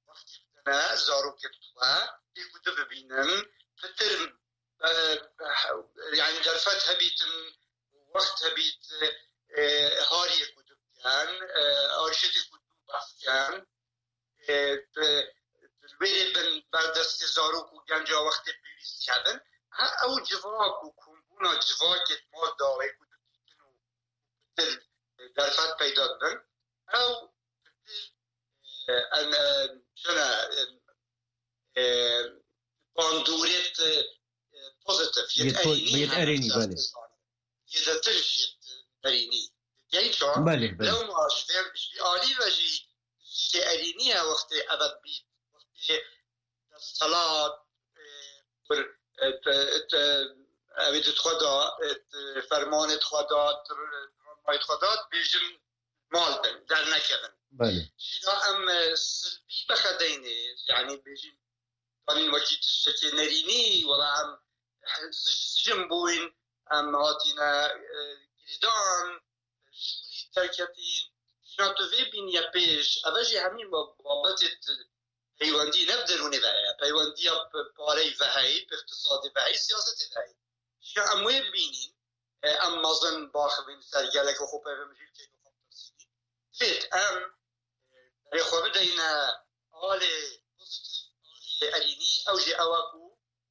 wextî bidine, zarokê bi xwe, ê ku di bibînin, pitir, e, e, yani derfet hebîtin, wext hebît, e, hariyê ku di bikin, e, arşêtê ku di bikin, e, bi, bi wêrê bin ber destê zarok û genca wextê pêwîstî hebin. Ha, ew civak û kombûna civakê di mal dawê ku dibîtin û pitir, e, derfet peyda dibin. Ew, e, em, e, çine, e, e, bandorêt, e, pozitif, yêt Yêt po-, erênî yêt hene erênî, belê. Yêdetir jî yêt erênî. Genç o. Belê, belê. Lewma ji vê, ji vî alî ve jî tiştê erênî ye wextê eve bît. Wextê desthilat, e, bir, e, te, te, ew ê di xwe da, e, te, fermanê xwe da, te, ronmayê xwe da, dibêjin mal bin, dernekevin. Belê. Jîna em, e, silbî bixedeynê, yani bêjin, danîn wekî tiştekê nerînî, wela em sij-, sicin bûyn, em hatîne, e, girêdan, şûrî derketîn. Jîna tu vê bîniye pêş, eve jî hemî ba-, babetê peywendî ne bi derûnê ve heye. Peywendiya p-, pareyî ve heyî, bi îqtisadê ve heyî, siyasetê ve heyî. Jîna em wê bibînîn, e, em mezin baxivîn ser gelek û xwe peyvemjî bikeyn û xwe bitirsînîn. Divêt em, e, berê xwe bideyne alê pozitif, alê erînî, ew jî ew e ku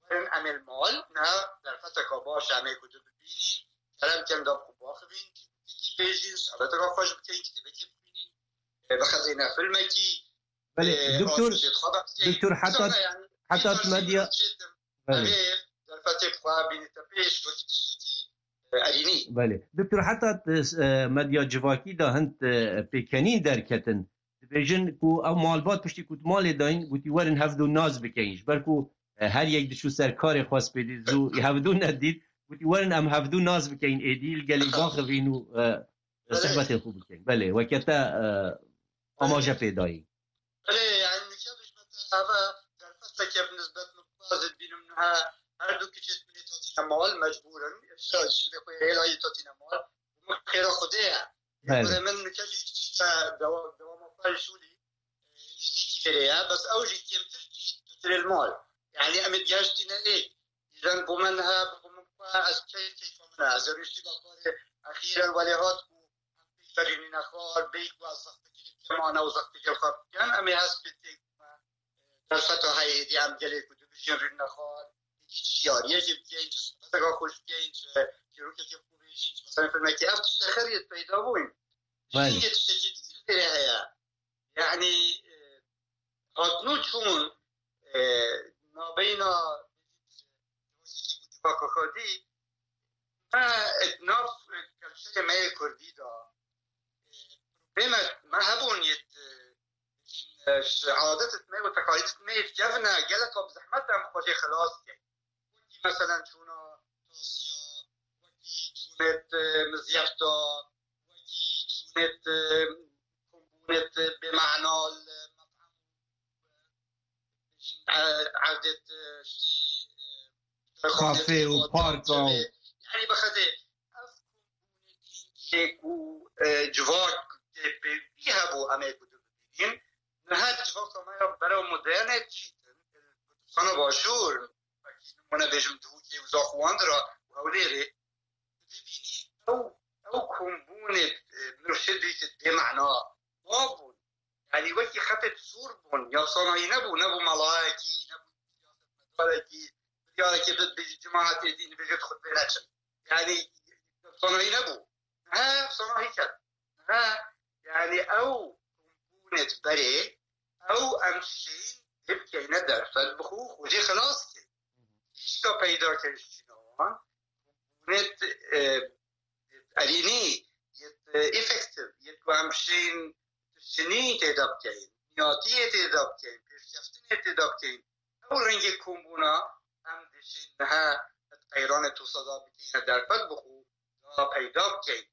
werin em ê li mal, niha derfeteka baş e em ê ku tu bibînîn, kerem ken da ku baxivîn, çîrokekî bêjîn, sohbeteka xweş bikeyn, kitêbekê bixwînîn, e, bixezîne filmekî, Belê, e, doktor, aştiyê xwe bixwînîn. Doktor, heta, Dîsa ne, yani, heta dîsa medya, çêtir. Belê. Em ê derfetê xwe bînîte pêş wekî tiştekî, e, erînî. Belê. Doktor, heta, e, medya civakî de hin, e, pêkenîn derketin. Dibêjin ku ew malbat piştî ku di malê dayîn, gotî werin hevdû nas bikeyin. Ji ber ku, e, her yek diçû ser karê xwe spêdî zû hevdû nedît. Gotî werin em hevdû nas bikeyin êdî, li gelê baxivîn û, e, Belê. sohbetê xwe bikeyin. Belê, weke te, e, Belê. amaje pê dayî. Belê, yani nike dijme te eve derfeteke bi nisbet min xwe ez dibînim niha her du kiçêt min ê tatîne mal, mecbûr in. Îşte, şîvê xwe hêla yê tatîne mal. Min xêra Xwedê ye. Belê. Xwedê min nike jî kiçî te dewa-, dewama xwe li şûlî, e, nêzîkî vêrê ye. Bes ew jî kêmtir jî tu tirê li mal. Yani em ê digeştîne ê. Îzen bo me niha, bo min xwe ez key-, keyfa min e. Ez ê rûniştî da karê exîr e, welê hat ku em pêk berînîne xwar, bêyî ku ez zextekî li kemane û zextekî li xwe bikin, em ê hespê tê ku me derfeta heyê êdî em gelê ku dibijin rûnine xwar, êdî çi yariyekê bikeyn, çi sohbeteka xweş bikeyn, çi çîrokekê xwe bêjîn, çi mesela filmekê. Ev tiştê xêr yê peyda bûn. Belê. Jî yê tiştekî dî li vêrê heye. Yani, e, hatnû çûn, e, nabeyna civaka xwedî, me, e, nav, e, kelçeyê me yê kurdî de, e, probleme me hebûn yê, e, e, ji adet me û teqalîd me yê kevne, geleka bi zehmet em xwe jê xilas keyn. Wekî meselen çûna tasiya, wekî çûnê, e, mizyefta, wekî çûnê, e, kombûnê, e, bêmana li methem, e, erdê, e, ştî, e, Kafe û parka û yani bixedê ev kombûnê gîngê ku, e, civak tê pêwî hebû em ê ku dibînin. Niha civaka me ya berew modernê diçîtin, Kurdistana Başûr, wekî nimûne bêjim Dihokê û Zaxuwandira û Hewlêrê, dibînî ew, ew kombûnê, e, mirov şêdî ke bêmana mabûn. Yani wekî xetê sor bûn, ya sanayî nebû, nebû melayekî, nebû siyasetmedarekî, biryareke bid bêjî cemaetê dîn bêjê xutbê neçin. Yani sanayî nebû. He, sanayî ket. He, yani ew kombûnê berê, ew em şên lê bikeyne derfet bixwe, xwe jê xilas kê. Tişka peyda kir ji çîna wan, kombûnê, e, erînî, yê, e, efektif, yê ku em şên tiştinî têda bikeyin, niyatiyê têda bikeyin, pêşkeftinê têda bikeyin. Ew rengê kombûna em dişên niha qeyranê tosa da bikeyne derfet bixwe, da peyda bikeyin.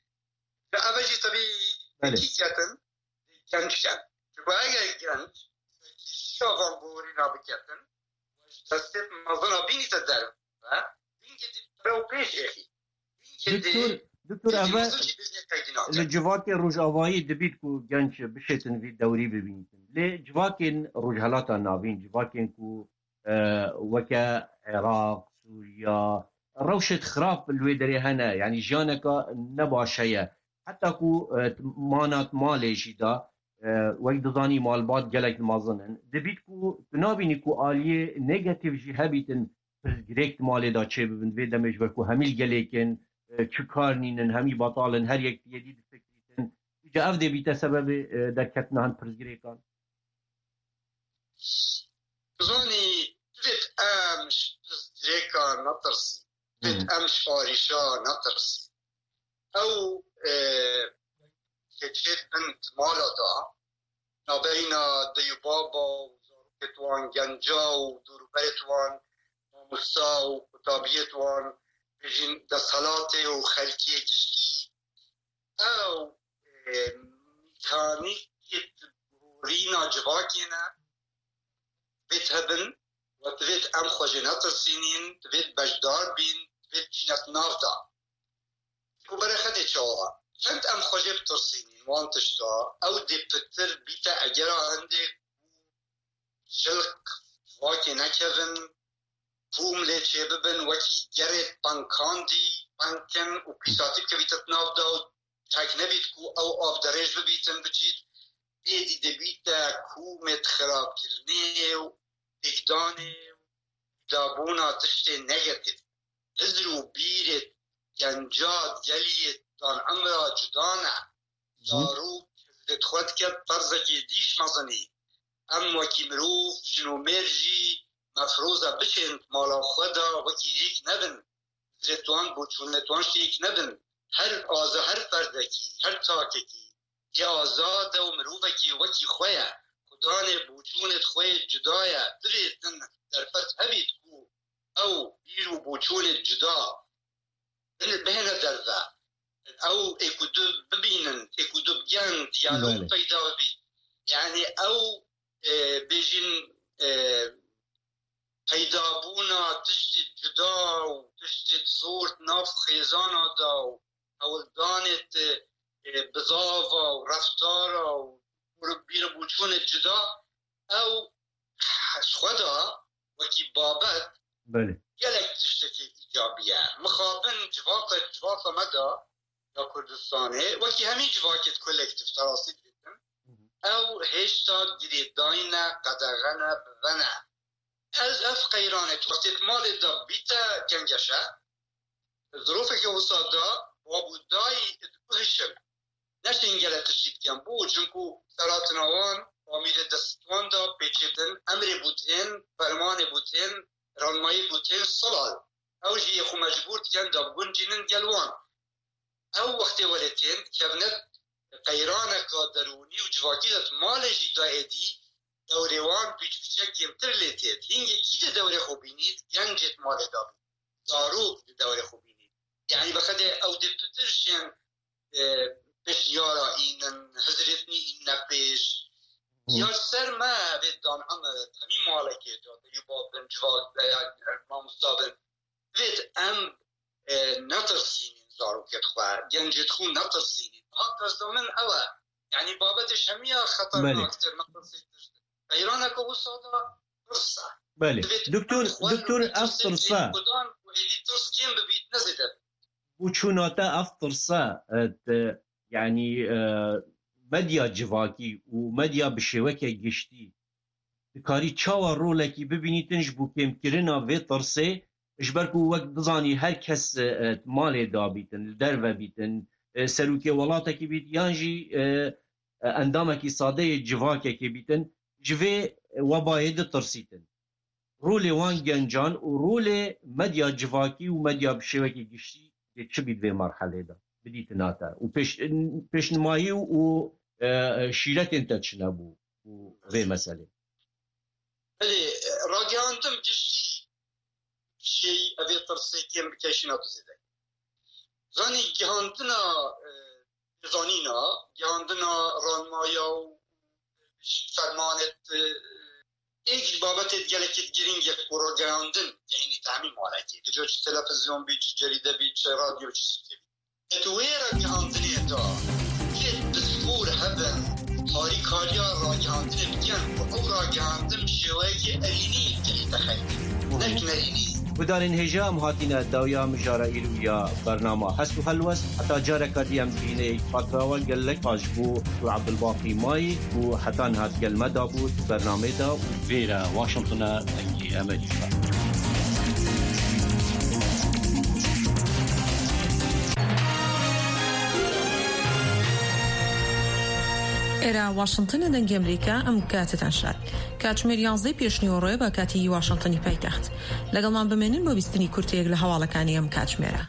Ve ev jî tebî Belê. Yekî ketin, genç ken. Çunku eger genç, kêşiya van borîna biketin, ji destê mezina bînîte derve, bingê dî berew pêş êxî. Bingê dî Doktor, doktor, êdî eve mezin jî bêjinê qeydî nakin. Li civakê rojavayî dibît ku genç bişêtin vî dewrî bibînîtin. Lê civakên Rojhelata Navîn, civakên ku, e, weke Iraq, Sûriya, rewşêt xirab li wê derê hene, yanî jiyaneka ne baş heye. Heta ku, e, mana malê jî da, e, wek dizanî malbat gelek mezin in. Dibît ku tu nabînî ku aliyê negatîf jî hebîtin pirsgirêk di malê de çêbibin. Vê demê ji ber ku hemî li gelêkin, e, çi kar nînin, hemî betal in, her yek yedî difikrîtin. Ji ev dê bîte sebebê, e, derketina hin pirsgirêkan? Zanî, divêt em ji pirsgirêkan netirsîn. Divêt Hı. em ji arîşa netirsîn. Ew, e, keçêt bin di mala de, nabeyna dey û baba û zarokêt wan, genca û dorûberêt wan, mamosta û qutabiyêt wan, bijîn desthilatê û xelkê giştî. Ew, e, mîkanîkê gorîna civakê ne, divêt hebin, we divêt em xwe jê netirsînîn, divêt beşdar bîn, divêt bîne di nav de. Ku berexedê çawa? Çend em xwe jê bitirsînîn wan tişta, ew dê pitir bîte egera hindê ku şilq civakê nekevin, kûm lê çêbibin, wekî gerê penkandî penkin û pîsatî bikevîte di nav de û çek nebît ku ew av derêj bibîtin biçît, êdî dibîte kûmêt xirabkirinê û têkdanê û dabûna tiştê negatif. Hizr û bîrê genca geliyê dan emra cuda ne. Hı. Zarok hizrêt xwe dike ferzekê dîş mezinî. Em wekî mirov, jin û mêr jî mefroza biçên mala xwe de wekî yek nebin. Hizrêt wan, boçûnêt wan şêk nebin. Her aza, her ferdekî, her takekî yê azad e û mirovekî wekî xwe ye. Xudanê boçûnêt xwe yê cuda ye. Divêtin derfet hebît ku ew bîr û boçûnêt cuda bin-, bihêne derve. Ew ê ku du bibînin, ê ku du bigen, diyalog Belê. peyda bibît. Yani ew, e, bêjin, e, peydabûna tiştê cuda û tiştê zor di nav xêzana de û hewldanê di, e, bizava û reftara û bîr û boçûnê cuda, ew ji xwe de wekî babet Belê. gelek tiştekî îcabî ye. Mixabin civaka, civaka me de ya Kurdistanê, wekî hemî civakê di kolektif te rastî dibêjim, Hı hı. ew hêşta girêdayî ne, qedexe ne, bi ve ne. Ez ev qeyranê tu wextê di malê de bîte gengeşe, zirofeke wisa de bab û dayî diguhişin. Neşên gelek tiştî dikin. Bo? Çinku seratina wan, amîrê destwan de pêçêtin, emrê bûtên, fermanê bûtên, ranmayî bûtên silal. Ew jî yê xwe mecbûr dikin da biguncînin gel wan. Ew wextê welêtên kevne qeyraneka derûnî û civakî de di malê jî da êdî dewrê wan pîç pîçe kêmtir lê têt. Hingê kî di dewrê xwe bînît, gencê di malê da bît. Zarok di dewrê xwe bînît. Yani bi xedê ew dê pitir şên, e, pêşniyara înin, hizrêtinî îne pêş. Hı. Ya ser me vê dan em hemî malekê de, deyû bab bin, civak, e, mamosta bin. Divêt em, e, netirsînin zarokêt xwe, gencêt xwe netirsînin. Hak ez da min ew e. Yani babetê şemiya Belê. xeternaktır, netirsîntir. Qeyraneke wisa da tirs e. Belê. Divêt Doktor, em xwe doktor, ev netirsên tirsa. Êdî tirskên bibît, ne zêde. Boçûna te ev tirsa, e, te, yani, e, medya civakî û medya bi şêweke giştî dikarî çawa rolekî bibînîtin ji bo kêmkirina vê tirsê, ji ber ku wek dizanî her kes, e, malê dabîtin, li derve bîtin, e, serokê welatekî bît yan jî, e, e, endamekî sade yê civakekê bîtin, ji vê webayê ditirsîtin. Rolê wan gencan û rolê medya civakî û medya bi şêwekî giştî dê çi bît vê merhelê de? Bidîtina te û pêş-, pêşnimayî û, e, şîretên te çi ne bo, bo vê meselê? Belê, ragihandin giştî şey evê tirsê kêm bike şîna tu zêde. Zanî gihandina, e, zanîna, gihandina ranmaya û fermanê, e, êk ji babetê gelekî girîng ye ku ragihandin, yanî temî malekê. Di cor çi televizyon bî, çi cerîde bî, çi radyo, çi zikê bî. Di wê ragihandinê de kê piskor hebin, harîkariya ragihandinê bikin ku ew ragihandin bi şêweyekî erênî bigihîte xelkê, ne ki nerênî. Guhdarên hêja, em hatine dawiya mijara îro ya bernama Hest û Helwest. Heta careka dî em dibînê, xatira we gelek spas ji bo Doktor Abdulbaqî Mayî ku heta niha di gel me de bû di bernamê de û vêre Washington e, dengê Amerîka. ئێرە واشنتنە، دەنگی ئەمریکا، ئەم کاتتان شاد. کاتژمێر یازدەی پێشنیوەڕۆیە بە کاتی واشنتنی پایتەخت. لەگەڵمان بمێنن بۆ بیستنی کورتەیەک لە هەواڵەکانی ئەم کاتژمێرە.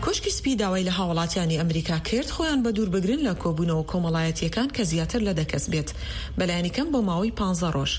کۆشکی سپی داوای لە هاوڵاتیانی ئەمریکا کرد خۆیان بە دوور بگرن لە کۆبوونەوە کۆمەڵایەتیەکان کە زیاتر لە دە کەس بێت، بەلایەنی کەم بۆ ماوەی پانزە ڕۆژ.